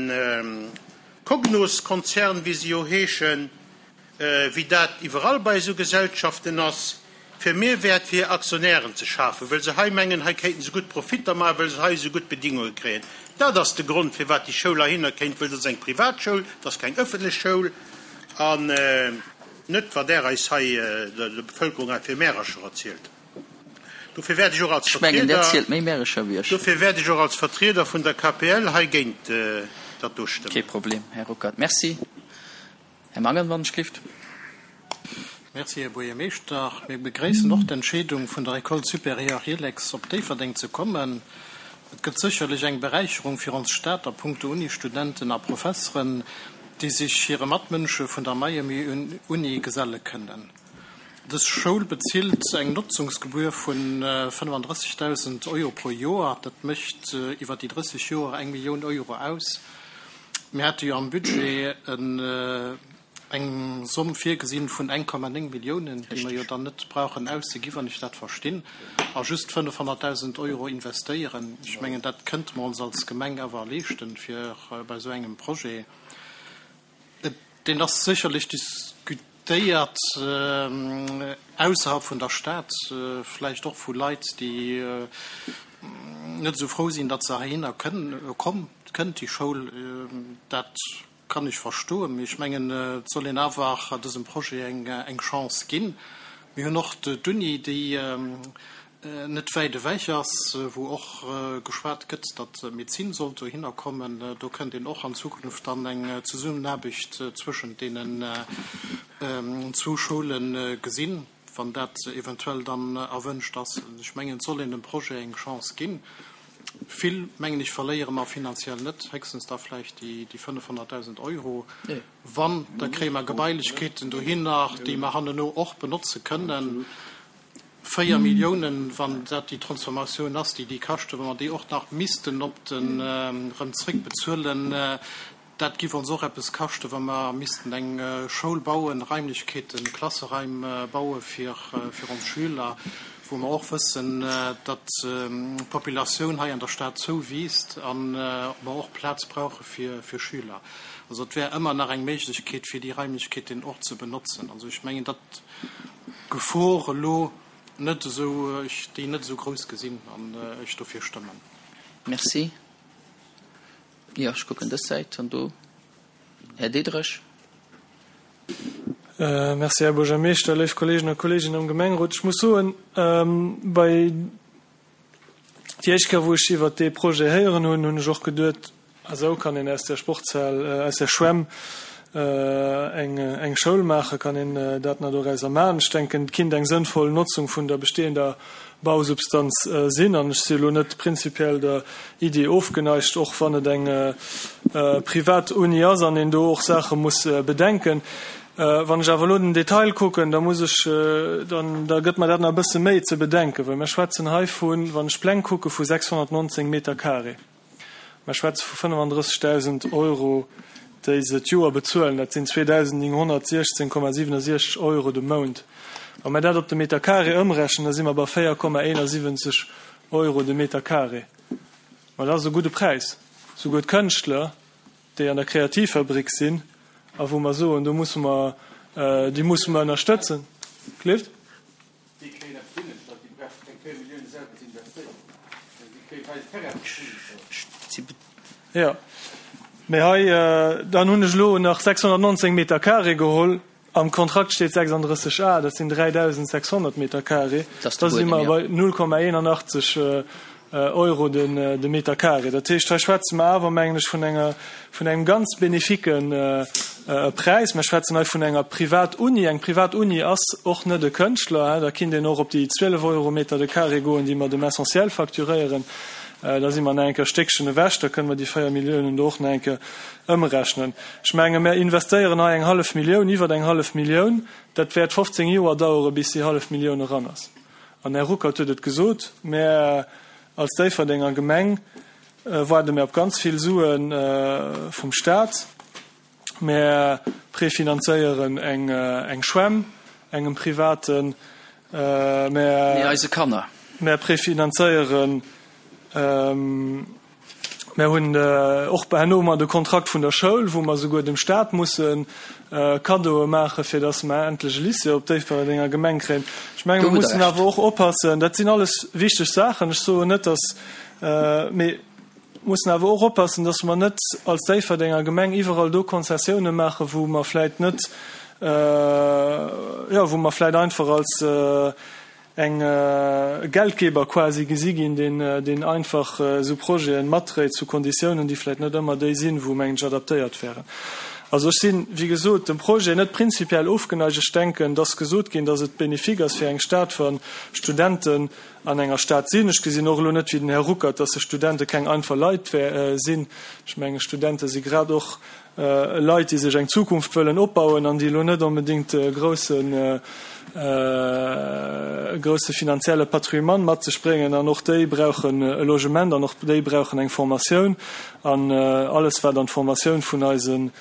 Cognos-Konzern, wéi se jo heeschen, wéi dat iwwerall bei esou Gesellschaften ass, fir Mehrwäert fir hir Aktionären ze schafen, wëll se hei mengen, hei kéinten se gutt Profitter maachen, wëll se hei esou gutt Bedingunge kréien. Dat ass de Grond, firwat déi Schoul heihinner kéint, wëll dat ass eng Privatschoul, dat ass keng ëffentlech Schoul. An net, wat Der eis hei, der Bevëlkerung hei fir Märercher erzielt. Dofir wäert ech och als Ech mengen, Der Vertrieder, zielt méi Märercher wéi ech. dofir wäert ech och als Vertrieder vun der K P L hei géint dat do Kee stëmmen. Problem, Här Ruckert. Merci. Här Mangen, wann ech gelift. Merci, Här Buergermeeschter. Mir begréissen och d'Entscheedung vun der École supérieure Helex op Déifferdeng ze kommen. Et gëtt sécherlech eng Beräicherung fir ons Stad a puncto Unistudenten a Professeren, déi sech hire Matmënsche vun der Miami Uni geselle kënnen. Dës Schoul bezilt eng Notzungsgebühr vu fënnefandrëssegdausend Euro pro Joer. Dat mécht iwwer déi drësseg Joer eng Millioun Euro aus. Mir hate jo am Budget eng Somm virgesinn vun eng Komma néng Milliounen, déi mer jo dann net brauchen auszeginn, wann ech dat verstinn, a just fënnefhonnertdausend Euro investéieren. Ech mengen, dat kënnte mer ons als Gemeng awer leeschten, fir bei esou engem Projet. Deen ass sécherlech diskutéiert ausserhalb vun der Stad, vläicht och vu Leit, déi net esou frou sinn, datt se heihinner kënnt, déi Schoul. Dat kann ech verstoen, mee ech mengen, et soll een awer dësem Projet eng Chance ginn. Mir hunn och d'Uni, déi net wäit ewech ass, wou och geschwat gëtt, datt d'Medezin sollt dohinner kommen. Do kënnt een och an Zukunft dann eng Zesummenaarbecht zwëschent deenen zwou Schoule gesinn, wann dat eventuell dann erwënscht ass. Ech mengen, et soll een dem Projet eng Chance ginn. Vill, mengen ech, verléiere mer finanziell net, héchstens da vläicht déi fënnefhonnertdausend Euro. Wann, da kréie mer Gebailechkeeten dohinner, déi mer hanneno och benotze kënnen. Véier Milliounen, wann dat déi Transformatioun ass, déi déi kaschten, wa mer déi och nach missten op den erëm zréckbezuelen, dat giff ons och eppes kaschten, wa mer missten eng Schoul bauen, Raimlechkeeten, Klasseraim baue fir fir ons Schüler, wou mer och wëssen, datt d'Populatioun hei an der Stad zouwiisst a mer och Plaz brauche fir fir Schüler. Also et wär ëmmer nach eng Méiglechkeet, fir déi Raimlechkeeten och ze benotzen. Also ech mengen, datt d'Gefor elo net esou, ech déi net esou grouss gesinn an ech dofir stëmmen. Merci. Jo, ech kucken dës Säit an do. Här Diderich. Merci, Här Buergermeeschter, léif Kolleegen a Kolleeginnen am Gemengerot. Ech muss soen, bei déi éischt Kéier, wou ech iwwert dee Projet héieren hunn, hunn ech och geduet, esou kann een aus der Sportshal, aus der Schwämm eng eng Schoul maachen, kann een dat nach dorauser maachen. Ech denken, et kinnt eng sënnvoll Notzung vun der bestehender Bausubstanz sinn an ech si elo net prinzipiell der Idee ofgeneigt, och wann et eng privat Uni ass an een do och Saache muss bedenken. Wann ech awer elo den Detail kucken, da muss ech, dann, da gëtt mer dat nach e bësse méi ze bedenken, well mir schwätzen hei vun, wann ech d'Pläng kucke, vu sechshonnertnonzéng Meter carré. Mir schwätze vu fënnefandrëssegdausend Euro, déi se d'Joer bezuelen. Dat sinn zweedausendnénghonnertsiechzéng Komma siwenundsechzeg Euro de Mount. Wa mir dat op de Meter carré ëmrechnen, da si mer bei véier Komma eenasiwwenzeg Euro de Meter carré. Ma dat ass e gudde Präis. Souguer d'Kënschtler, déi an der Kreativfabrik sinn a wou mer soen, do musse mer, déi musse mer ënnerstëtzen. Clift? Déi kréien eppes hingestallt, déi bräichte keng véier Millioune selwer ze investéieren. Déi kréie hei den Terrain zur Verfügung gestallt. Jo, mee hei, dann hunn ech elo nach sechshonnertnonzéng Meter carré geholl. Am Kontrakt steet sechsanddrësseg A, dat sinn dräidausendsechshonnert Meter carré. Da si mer bei null Komma eenanachtzeg Euro de Meter carré. Dat heescht, hei schwätze mer awer, mengen ech, vun enger, vun engem ganz benefique Präis. Mer schwätzen hei vun enger Privatuni. Eng Privatuni ass och net e Kënschtler. Da kinnt een och op déi zwielef Euro Meter de carré goen, déi mer dem Essentiel facturéieren. Da si mer nach eng Kéier e Stéckchen ewech. Da kënne mer déi véier Milliounen do och nach eng Kéier ëmrechnen. Ech menge mer investéieren hei eng hallef Millioun, iwwer eng hallef Millioun. Dat wäert fofzéng Joer dauere bis déi hallef Millioun eran ass. An Här Ruckert huet et gesot, Mär als Déifferdenger Gemeng waarde mir op ganz vill Sue vum Stat. Mär prefinanzéieren eng Schwämm engem Privaten. Mär eise Kanner. Mär prefinanzéieren, mär hunn och herno ëmmer de Kontrakt vun der Schoul, wou mer souguer dem Stat musse Kaddoe maachen, fir datt mer endlech e Lycée op Déifferdenger Gemeng kréien. Ech menge mer mussen awer och oppassen, dat sinn alles wichteg Saachen, ech soen net, datt, mee mussen awer och oppassen, datt mer net als Déifferdenger Gemeng iwwerall do Konzessiounen maachen, wou mer vläicht net, jo, wou mer vläicht einfach als eng Geldgeber quasi gesi ginn, deen, deen einfach esou Projete matdréit zu Konditiounen, déi vläicht net ëmmer déi sinn, wou, mengen ech, adaptéiert wären. Also ech sinn, wéi gesot, dem Projet net prinzipiell ofgeneigt. Ech denken, et ass gesot ginn, datt et bénéfique ass fir eng Stad, wa Studenten an enger Stad sinn. Ech gesinn och elo net wéi den Här Ruckert, datt Studente keng einfach Leit sinn. Ech menge Studente si grad och Leit, déi sech eng Zukunft wëllen opbauen an déi elo net onbedéngt e groussen, e grousse finanzielle Patrimoine mat sech bréngen. An och déi brauchen e Logement an och déi brauchen eng Formatioun. An alles, wat an d'Formatioun vun eise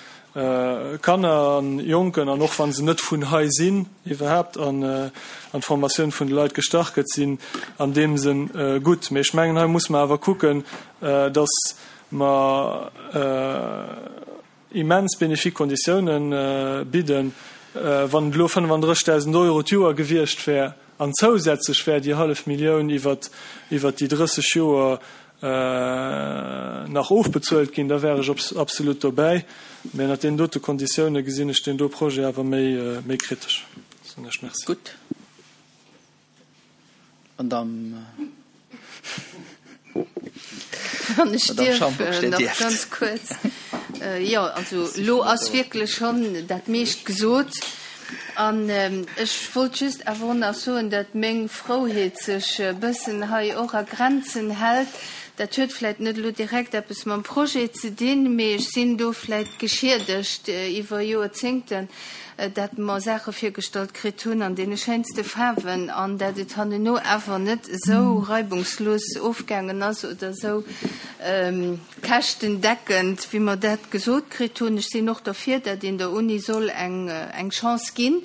Kanner an Jonken, an och wa se net vun hei sinn, iwwerhaapt an d'Formatioun vun de Leit gestach gëtt, sinn an deem Sënn gutt. Mee ech mengen, hei muss mer awer kucken, dass mer immens bénéfique Konditiounen bidden. Wann et elo fënnefandrëssigdausend Euro d'Joer gewiescht wär an zousätzlech wär déi hallef Millioun iwwert déi drësseg Joer nach ofbezuelt ginn, da wär ech absolut dobäi. Mä ënnert deenen dote Konditioune gesinn ech deen do Projet awer méi kritesch. Soen ech Merci. Gutt. Madame. Wann ech dierf nach ganz kuerz. Jo, also elo ass wierklech schonn dat meescht gesot. An ech wollt just awer och nach soen, datt meng Frouheet sech e bëssen hei och a Grenzen hält. Dat huet vläicht net elo direkt eppes mam Projet ze dinn, mee ech sinn do vläicht geschiedegt iwwer Joerzéngten, dat mer Saache virgestallt kritt hunn an deene schéinste Faarwen an dat et hanneno awer net esou reibungslos ofgaangen ass oder esou käschtendeckend, wéi mer dat gesot kritt hunn. Ech sinn och derfir, dat een der Uni soll eng eng Chance ginn.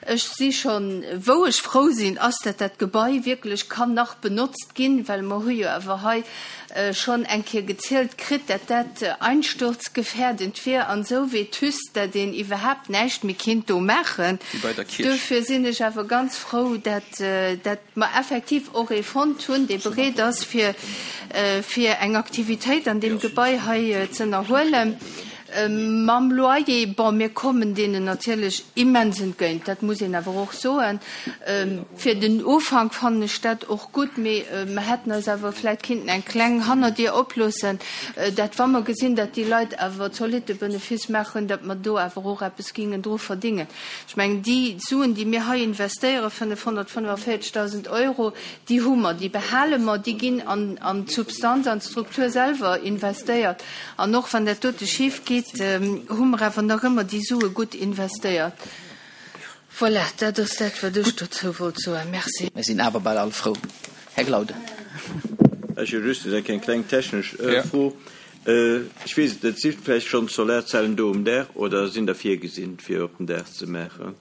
Ech si schonn, wou ech frou sinn, ass, dat dat Gebai wierklech kann nach benotzt ginn, well mer hu jo awer hei schonn eng Kéier gezielt kritt, dat dat einsturzgefährdend wier an esou vétuste, dat een iwwerhaapt näischt méi kinnt do maachen. Wéi bei der Kierch. Duerfir sinn ech awer ganz frou, dat dat mer effektiv och ee fonnt hunn, dee bereet ass, fir fir eng Aktivitéit an deem Gebai hei z'ënnerhuelen. Mam Loyer, bon, mir kommen deenen natierlech immens entgéint, dat muss een awer och soen. Fir den Ufank fannen ech dat och gutt, mee mer hätten eis awer vläicht kinnten eng kleng Hannerdier oploossen, dat wa mer gesinn, dat déi Leit awer zolitte Benefice maachen, dat mer do awer och eppes gingen dru verdingen. Ech mengen, déi Suen, déi mir hei investéieren, fënnefhonnertfënnefaviertegdausend Euro, déi hu mer, déi behale mer, déi ginn an d'Substanz, an d'Struktur selwer investéiert. An och wann dat dote schif geet, gesitt, hu mer awer nach ëmmer déi Sue gutt investéiert. Voilà, dat ass dat, wat ech dozou wollt soen. Merci. Mir sinn awer bal all frou. Här Glauden. Ech hu just eng kleng technesch Fro. Ech weess et net, si vläicht schonn Solarzellen do um Daach oder sinn der virgesinn, fir op den Daach ze maachen?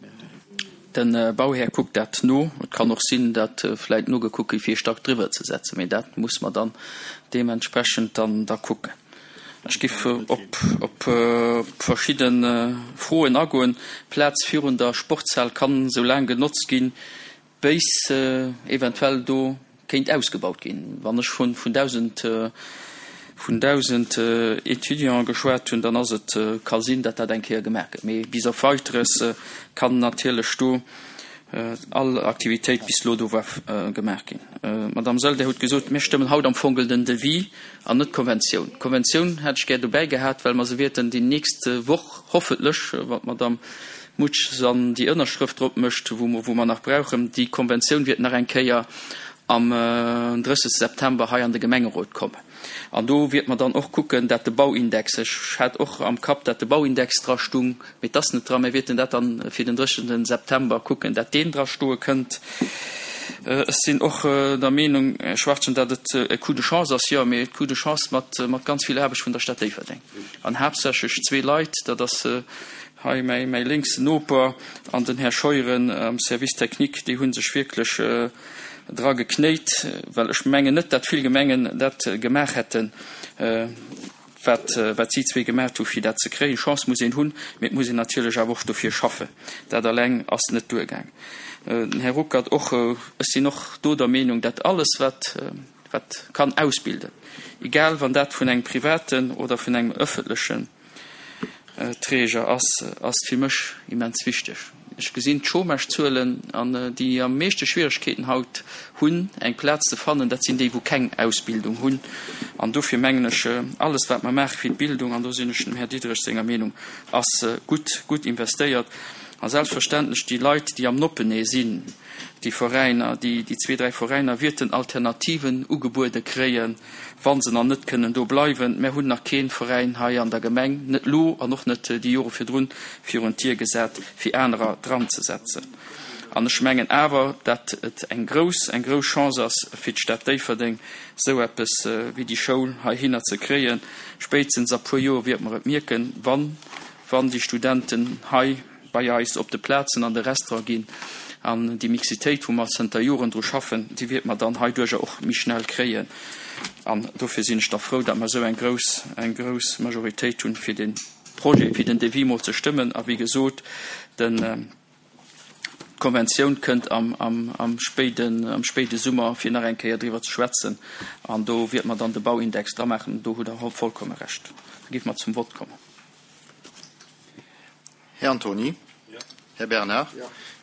De Bauhär kuckt dat no. Et kann och sinn, datt vläicht nogekuckt gétt, fir ee Stack driwwer ze setzen, mee dat muss mer dann deementsprechend dann da kucken. Ech giff op op verschidde Froen agoen. D'Plaz virun der Sportshal kann esou laang genotzt ginn, béis eventuell do kéint ausgebaut ginn. Wann ech vun vun dausend vun dausend Étudiante geschwat hunn, dann ass et, ka sinn, datt dat eng Kéier gemaach gëtt. Mee bis op Weiteres kann natierlech do all Aktivitéit bis elo do war gemaach ginn. Madame Saeul, Dir hutt gesot, mir stëmmen haut am Fongel den Devis an net d'Konventioun. D'Konventioun hätt ech gär dobäi gehat, well mer se wäerten déi nächst Woch hoffentlech, wann d'Madame Mutsch dann déi Ënnerschrëft drop mécht, wou mer, wou mer nach brauchen, déi Konventioun wäert nach eng Kéier am drëssegste September hei an de Gemengerot kommen. An do wäert mer dann och kucken, dat de Bauindex, ech hat och am Kapp, dat de Bauindex dra stung, mee et ass net dran, mir wäerten dat dann fir den drëssegsten September kucken, dat deen dra stoe kënnt. Ech sinn och der Meenung, Här Schwachtgen, dat et e Coup de chance ass, jo, mee e Coup de chance mat, mat ganz vill Aarbecht vun der Stad Déifferdeng an haaptsächlech zwee Leit, dat ass hei mäi, mäi lénksen Noper an den Här Scheuren am Service technique, déi hu sech wierklech dra geknéit, well ech mengen net, dat vill Gemengen dat gemaach hätten, wat, wat si zwee gemaach hu fir dat ze kréien. Chance muss een hunn, mee et muss een natierlech awer och dofir schaffen. Dat alleng ass net duergaang. Den Här Ruckert och, ech sinn och do der Meenung, dat alles wat, wat kann ausbilden, egal wann dat vun engem privaten oder vun engem öffentlechen Träger ass, ass fir mech immens wichteg. Ech gesinn d'Chômagezuelen an déi am meeschte Schwieregkeeten haut hunn, eng Plaz ze fannen, dat sinn déi, wou keng Ausbildung hunn. An dofir mengen ech, alles wat mer maache fir d'Bildung, an do sinn ech dem Här Diderich senger Meenung, ass gutt, gutt investéiert. A selbstverständlech déi Leit, déi am Noppenee sinn, déi Veräiner, déi, déi zwee, dräi Veräiner wierten Alternativen ugebuede kréien, wa se nach net kënnen do bleiwen. Mär hunn nach kee Veräin hei an der Gemeng, net elo an och net déi Jore virdrun, virun d'Dier gesat, fir anerer dranzesetzen. An ech mengen awer, dat et eng grouss, eng grouss Chance ass fir d'Stad Déifferdeng, esou eppes wéi déi Schoul heihinner ze kréien. Spéitstens a puer Joer wiert mer et mierken, wann, wann déi Studenten hei bei eis op de Plazen an de Restaurant ginn. An déi Mixitéit, wou mer zënter Joren dru schaffen, déi wiert mer dann heiduercher och méi schnell kréien. An dofir sinn ech da frou, datt mer esou eng grouss, eng grouss Majoritéit hunn, fir dee Projet, fir den Devis mol ze stëmmen. A wéi gesot, den, d'Konventioun kënnt am, am, am spéiden, am spéide Summer, fir nach eng Kéier driwwer ze schwätzen. An do wiert mer dann de Bauindex dramaachen. Do hutt Der vollkomme Recht. Da géife mer zum Vott kommen. Här Antony. Här Bernard.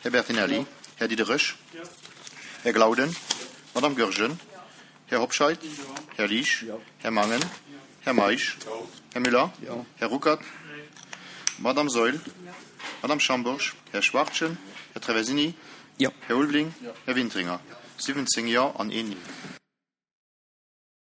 Här Bertinelli. Här Diderich. Här Glauden. Madame Goergen. Här Hobscheit. Här Liesch. Här Mangen. Här Meisch. Här Müller. Här Ruckert. Madame Saeul. Madame Schambourg. Här Schwachtgen. Här Traversini. Här Ulveling. Här Wintringer. siwwenzéng Jo an een Neen.